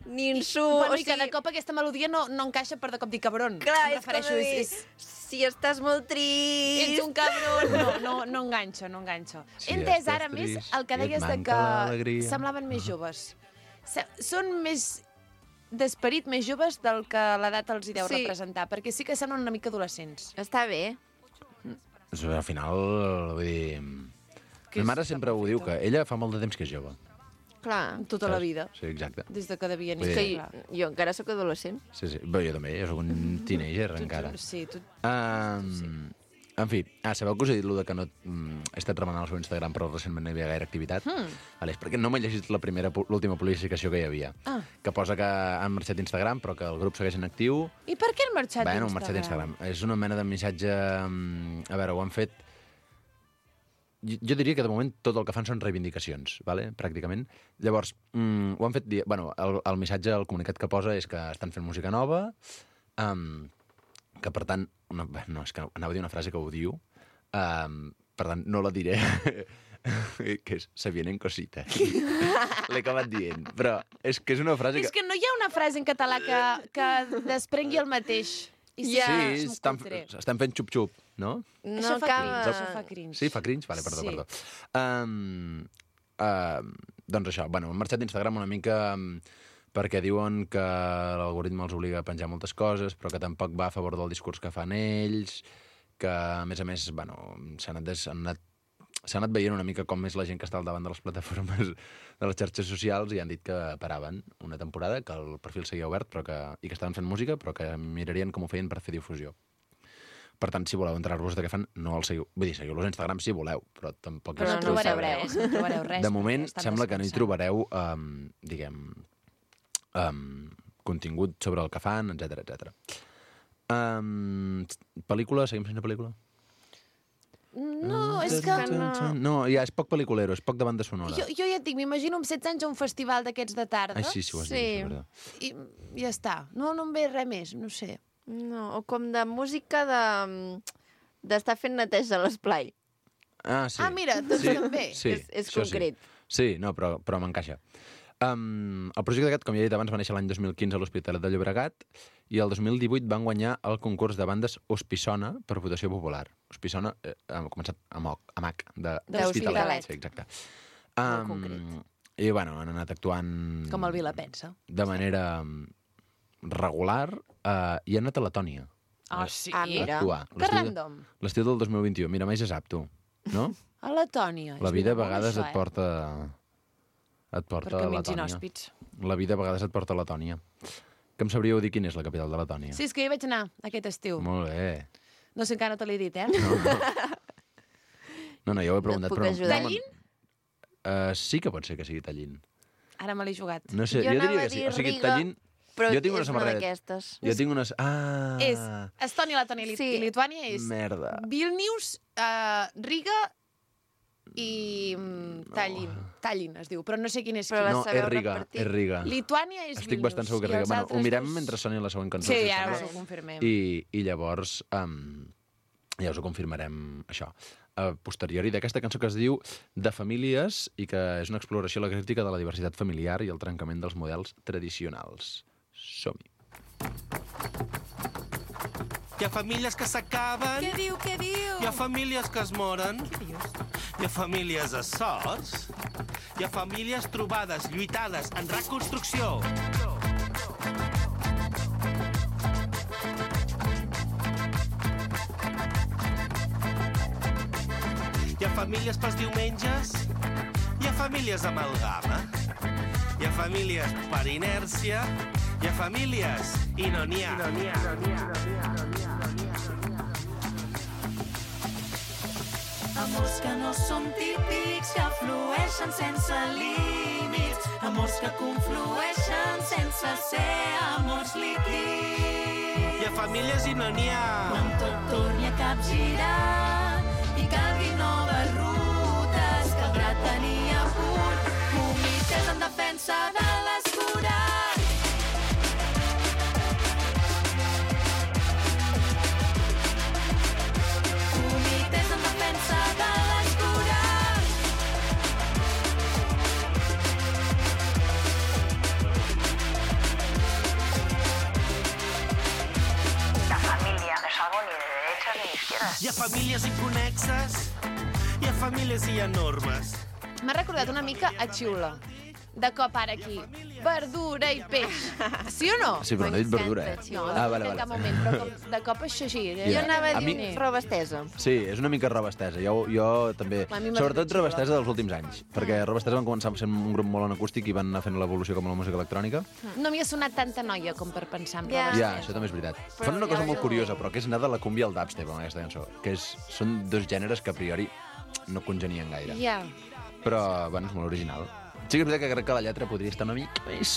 Ni insult... Bueno, o i sigui, cada cop aquesta melodia no, no encaixa per de cop dir cabron. Clar, Em és com refereixo, dir, és, és... si estàs molt trist... Ets un cabron. No, no, no enganxa, no enganxa. Si He entès estàs ara més trist el que i et deies de manca que l'alegria. semblaven més joves. Se- Són més d'esperit més joves del que l'edat els hi deu Sí. representar, perquè sí que semblen una mica adolescents. Està bé. Doncs, al final, vull dir... Que Ma mare és sempre ho diu, que ella fa molt de temps que és jove. Clar. Tota la vida. Sí, exacte. Des de que devien Vull És que dir- clar. jo, jo encara sóc adolescent. Sí, sí. Bé, jo també, jo sóc un teenager encara. Sí, tu... Um, en fi, ah, sabeu que us he dit lo de que no... Mm, he estat remenant el seu Instagram, però recentment no hi havia gaire activitat? Hmm. Vale, és perquè no m'he llegit la primera, pu- l'última publicació que hi havia. Ah. Que posa que han marxat d'Instagram, però que el grup segueix en actiu. I per què han marxat Bueno, han d'Instagram? marxat d'Instagram. És una mena de missatge... mm, A veure, ho han fet... Jo, jo diria que de moment tot el que fan són reivindicacions, vale? Pràcticament. Llavors, mm, ho han fet... di- Bueno, el, el missatge, el comunicat que posa és que estan fent música nova, um, que per tant... Una, bé, no, és que anava a dir una frase que odio, um, per tant, no la diré, que és se vienen cositas. L'he acabat dient, però és que és una frase És que no hi ha una frase en català que, que desprengui el mateix. I Sí, sí, estan, estan fent xup-xup, no? No això fa acaba- cringe, això fa cringe. Sí, fa cringe? Vale, perdó, Sí. perdó. Um, uh, doncs això, bueno, han marxat d'Instagram una mica um, perquè diuen que l'algoritme els obliga a penjar moltes coses, però que tampoc va a favor del discurs que fan ells, que, a més a més, bueno, s'ha anat, des, han anat, s'ha anat veient una mica com és la gent que està al davant de les plataformes de les xarxes socials i han dit que paraven una temporada, que el perfil seguia obert però que, i que estaven fent música, però que mirarien com ho feien per fer difusió. Per tant, si voleu entrar-vos de què fan, no el seguiu. Vull dir, seguiu-los a Instagram si voleu, però tampoc... Però és no que ho trobareu sabreu. res, no trobareu res. De moment, perquè estan sembla que no hi descansant. trobareu, um, diguem, um, contingut sobre el que fan, etcètera, etcètera. Um, pel·lícula? Seguim sense pel·lícula? No, és que no. No, ja és poc pel·liculero, és poc de banda sonora. Jo, jo ja et dic, m'imagino amb setze anys a un festival d'aquests de tarda. Ai, sí, sí, ho has dit, és veritat. I ja està. No, no em ve res més, no sé. No, o com de música de d'estar fent neteja a l'esplai. Ah, sí. Ah, mira, doncs sí, també. Sí, És- és això concret. Sí, sí no, però, però m'encaixa. Um, el projecte aquest, com ja he dit abans, va néixer l'any dos mil quinze a l'Hospitalet de Llobregat i el dos mil divuit van guanyar el concurs de bandes Hospissona per votació popular. Hospissona eh, ha començat amb, o, amb H, de D'Hospitalet. Sí, exacte. Molt Um, concret. I, bueno, han anat actuant... Com el Vila pensa. De manera um, regular uh, i han anat a Letònia. Ah, sí? Ah, mira. Actuar. Que L'estiu de- random. L'estiu del dos mil vint-i-u. Mira, mai se sap, tu. No? A Letònia. La És vida a molt vegades això, et porta... Et porta Per a camins Letònia. inhòspits. La vida a vegades et porta a Letònia. Que em sabríeu dir quina és la capital de Letònia? Sí, és que hi vaig anar aquest estiu. Molt bé. No sé, encara no te l'he dit, eh? No, no, ja ho he preguntat. puc però ajudar. no me'n- Uh, sí que pot ser que sigui Tallinn. Ara me l'he jugat. No sé, jo, Jo anava diria a que sí. dir O sigui, Riga, Tallinn... però jo tinc una és una samarreta. d'aquestes. Jo tinc unes... Ah! És Estònia, Letònia i, Sí. i Lituània és Merda. Vilnius, uh, Riga i mm, tallin, tallin es diu, però no sé quin és Però quin. No, és Riga, és Riga. Lituània és Estic Vilnius. bastant segur que i és Riga. els Bueno, altres ho mirem dos- mentre soni la següent cançó. Sí, si us ara sembla. us ho confirmem. I, i llavors um, ja us ho confirmarem, això. A posteriori d'aquesta cançó que es diu De famílies i que és una exploració a la crítica de la diversitat familiar i el trencament dels models tradicionals. Som-hi. Hi ha famílies que s'acaben. Què diu, què diu? Hi ha famílies que es moren. Hi ha famílies a sorts. Hi ha famílies trobades, lluitades, en reconstrucció. Hi ha famílies pels diumenges. Hi ha famílies amalgama. Hi ha famílies per inèrcia. Hi ha famílies i no n'hi ha. No n'hi ha, no n'hi ha, no n'hi ha, no n'hi ha. Amors que no són típics, que flueixen sense límits. Amors que conflueixen sense ser amors líquids. Hi ha famílies i no n'hi ha. Quan tot torni a capgirar i calguin noves rutes, caldrà tenir a punt comitès en defensa de l'escurat. Comitès en defensa de l'escurat. La familia no es algo ni de derechas ni de izquierdas. Hi ha famílies inconexes. Hi ha famílies i hi ha normes. M'ha recordat una mica a Xiula. De cop ara aquí. Verdura i peix. Sí o no? Sí, però no he dit verdura, eh? No, Ah, no vale, en cap vale. moment, però com de cop això així. Ja. Jo anava a A dir mi... roba estesa. Sí, és una mica roba estesa. Jo, jo també... A mi m'ha Sobretot fet roba xulo. estesa dels últims anys. Perquè roba estesa van començar sent un grup molt en acústic i van anar fent l'evolució com a la música electrònica. No m'hi ha sonat tanta noia com per pensar en roba Ja, això també és veritat. Fan una cosa molt curiosa, però que és anar de la cumbia al dubstep amb aquesta cançó. Que és, són dos gèneres que a priori no congenien gaire. Ja. Però, bueno, és molt original. Sí que és veritat que crec que la lletra podria estar una mica més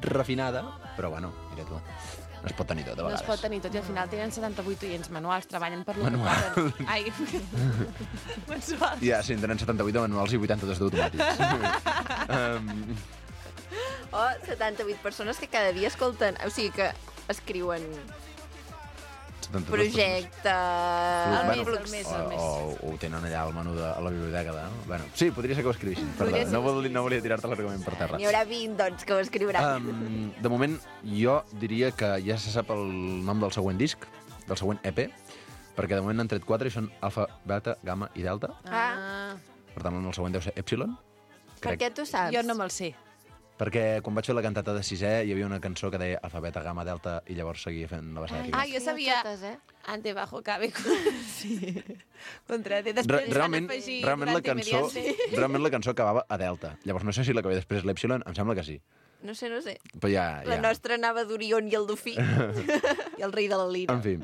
refinada, però, bueno, mira tu, no es pot tenir tot a No es vegades. pot tenir tot i al final tenen setanta-vuit oients manuals, treballen per lo Manual. que poden. Ai, mensuals. Ja, sí, en tenen setanta-vuit de manuals i vuitanta-dos d'automàtics. um, O setanta-vuit persones que cada dia escolten, o sigui que escriuen setanta-dos projecte... Flux, bueno, Flux. o, o, o ho tenen allà al menú de a la biblioteca. De, no? Bueno, sí, podria ser que ho escrivissin. Perdó, Podria ser no, que ho vol, no volia tirar-te l'argument per terra. N'hi haurà vint, doncs, que ho escriuran. Um, de moment, jo diria que ja se sap el nom del següent disc, del següent E P, perquè de moment n'han tret quatre i són alfa, beta, gamma i delta. Ah, Per tant, el següent deu ser Epsilon. per què tu saps? Jo no me'l sé. Perquè quan vaig fer la cantata de sisè hi havia una cançó que deia alfa, beta, gamma, delta i llavors seguia fent la vessada Ah, aquí. jo sabia... Totes, eh? Ante, bajo, cabe... Sí. Contra T. Re Després van realment, afegir realment, la durante cançó, mediante. realment la cançó acabava a delta. Llavors no sé si la que ve després l'Epsilon, em sembla que sí. No sé, no sé. Però ja... La ja. nostra anava d'Orion i el Dofí. I el rei de la lira. En fi,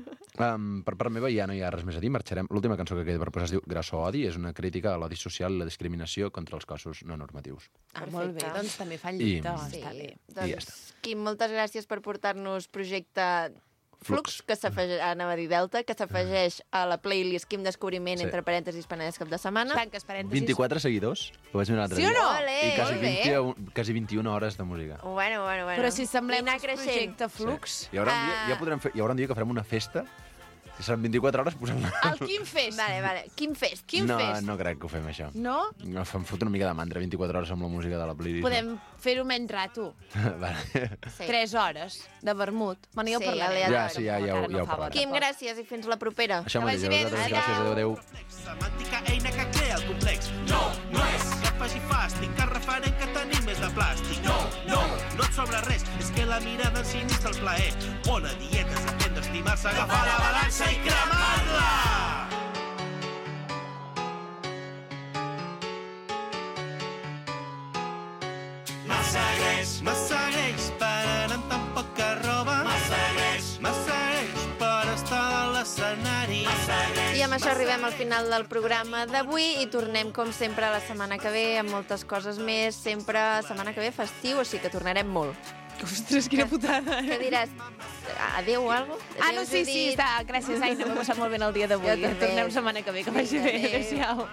um, per part meva ja no hi ha res més a dir. Marxarem. L'última cançó que queda per posar es diu Grasso Odi. És una crítica a l'odi social i la discriminació contra els cossos no normatius. Ah, molt bé, doncs també fan I- lluita, Sí, està bé. I ja Doncs, Quim, moltes gràcies per portar-nos projecte Flux, Flux. que s'afegeix, anava a dir Delta, que s'afegeix a la playlist Quim Descobriment, Sí. entre parèntesis, Penedès cap de setmana. Tanques parèntesis. vint-i-quatre seguidors, ho vaig mirar l'altre Sí o dia. no? Ole, I quasi, molt bé. vint, quasi vint-i-una hores de música. Bueno, bueno, bueno. Però si semblem I anar un creixent. projecte Flux... Hi haurà, un dia, ja podrem fer, hi haurà un dia que farem una festa, que seran vint-i-quatre hores posant... El Quim Fest. Vale, vale. Quim Fest. Quim no, Fest. no crec que ho fem, això. No? No, em fot una mica de mandra, vint-i-quatre hores amb la música de la playlist. Podem fer-ho menys rato. Vale. Sí. Tres hores de vermut. Bueno, ja ho Sí, parlarem. aleatori. Ja, sí, ja, ja, ho- ja ho fa parlarem. Quim, gràcies i fins la propera. Això mateix, a vosaltres, gràcies, adéu, adéu. Semàntica eina que crea el complex. No, no és que et faci fàstic, que referent que tenim és de plàstic. No, no, no et sobra res, és que la mirada ensinista el plaer. Bona dieta és aprendre a estimar-se, agafar la balança i cremar-la! Massa greix, massa greix per anar amb tan poca roba. Massa greix, massa greix per estar a l'escenari. Massa greix. I amb això arribem al final del programa d'avui i tornem, com sempre, la setmana que ve amb moltes coses més. Sempre setmana que ve festiu, o sigui que tornarem molt. Ostres, quina putada. Què diràs? Adéu o alguna cosa? Ah, no, sí, sí, està. Gràcies, Aina. M'he passat molt bé el dia d'avui. Jo també. Tornem setmana que ve, que vagi bé. Adéu. Adéu-siau.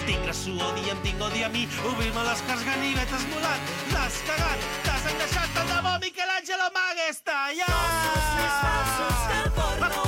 Tinc la suor, diem, tinc odi a mi, obrir-me les cars, ganivetes molant, l'has cagat, t'has encaixat tant de bo, Michelangelo m'hagués tallat! Som més falsos que el porno.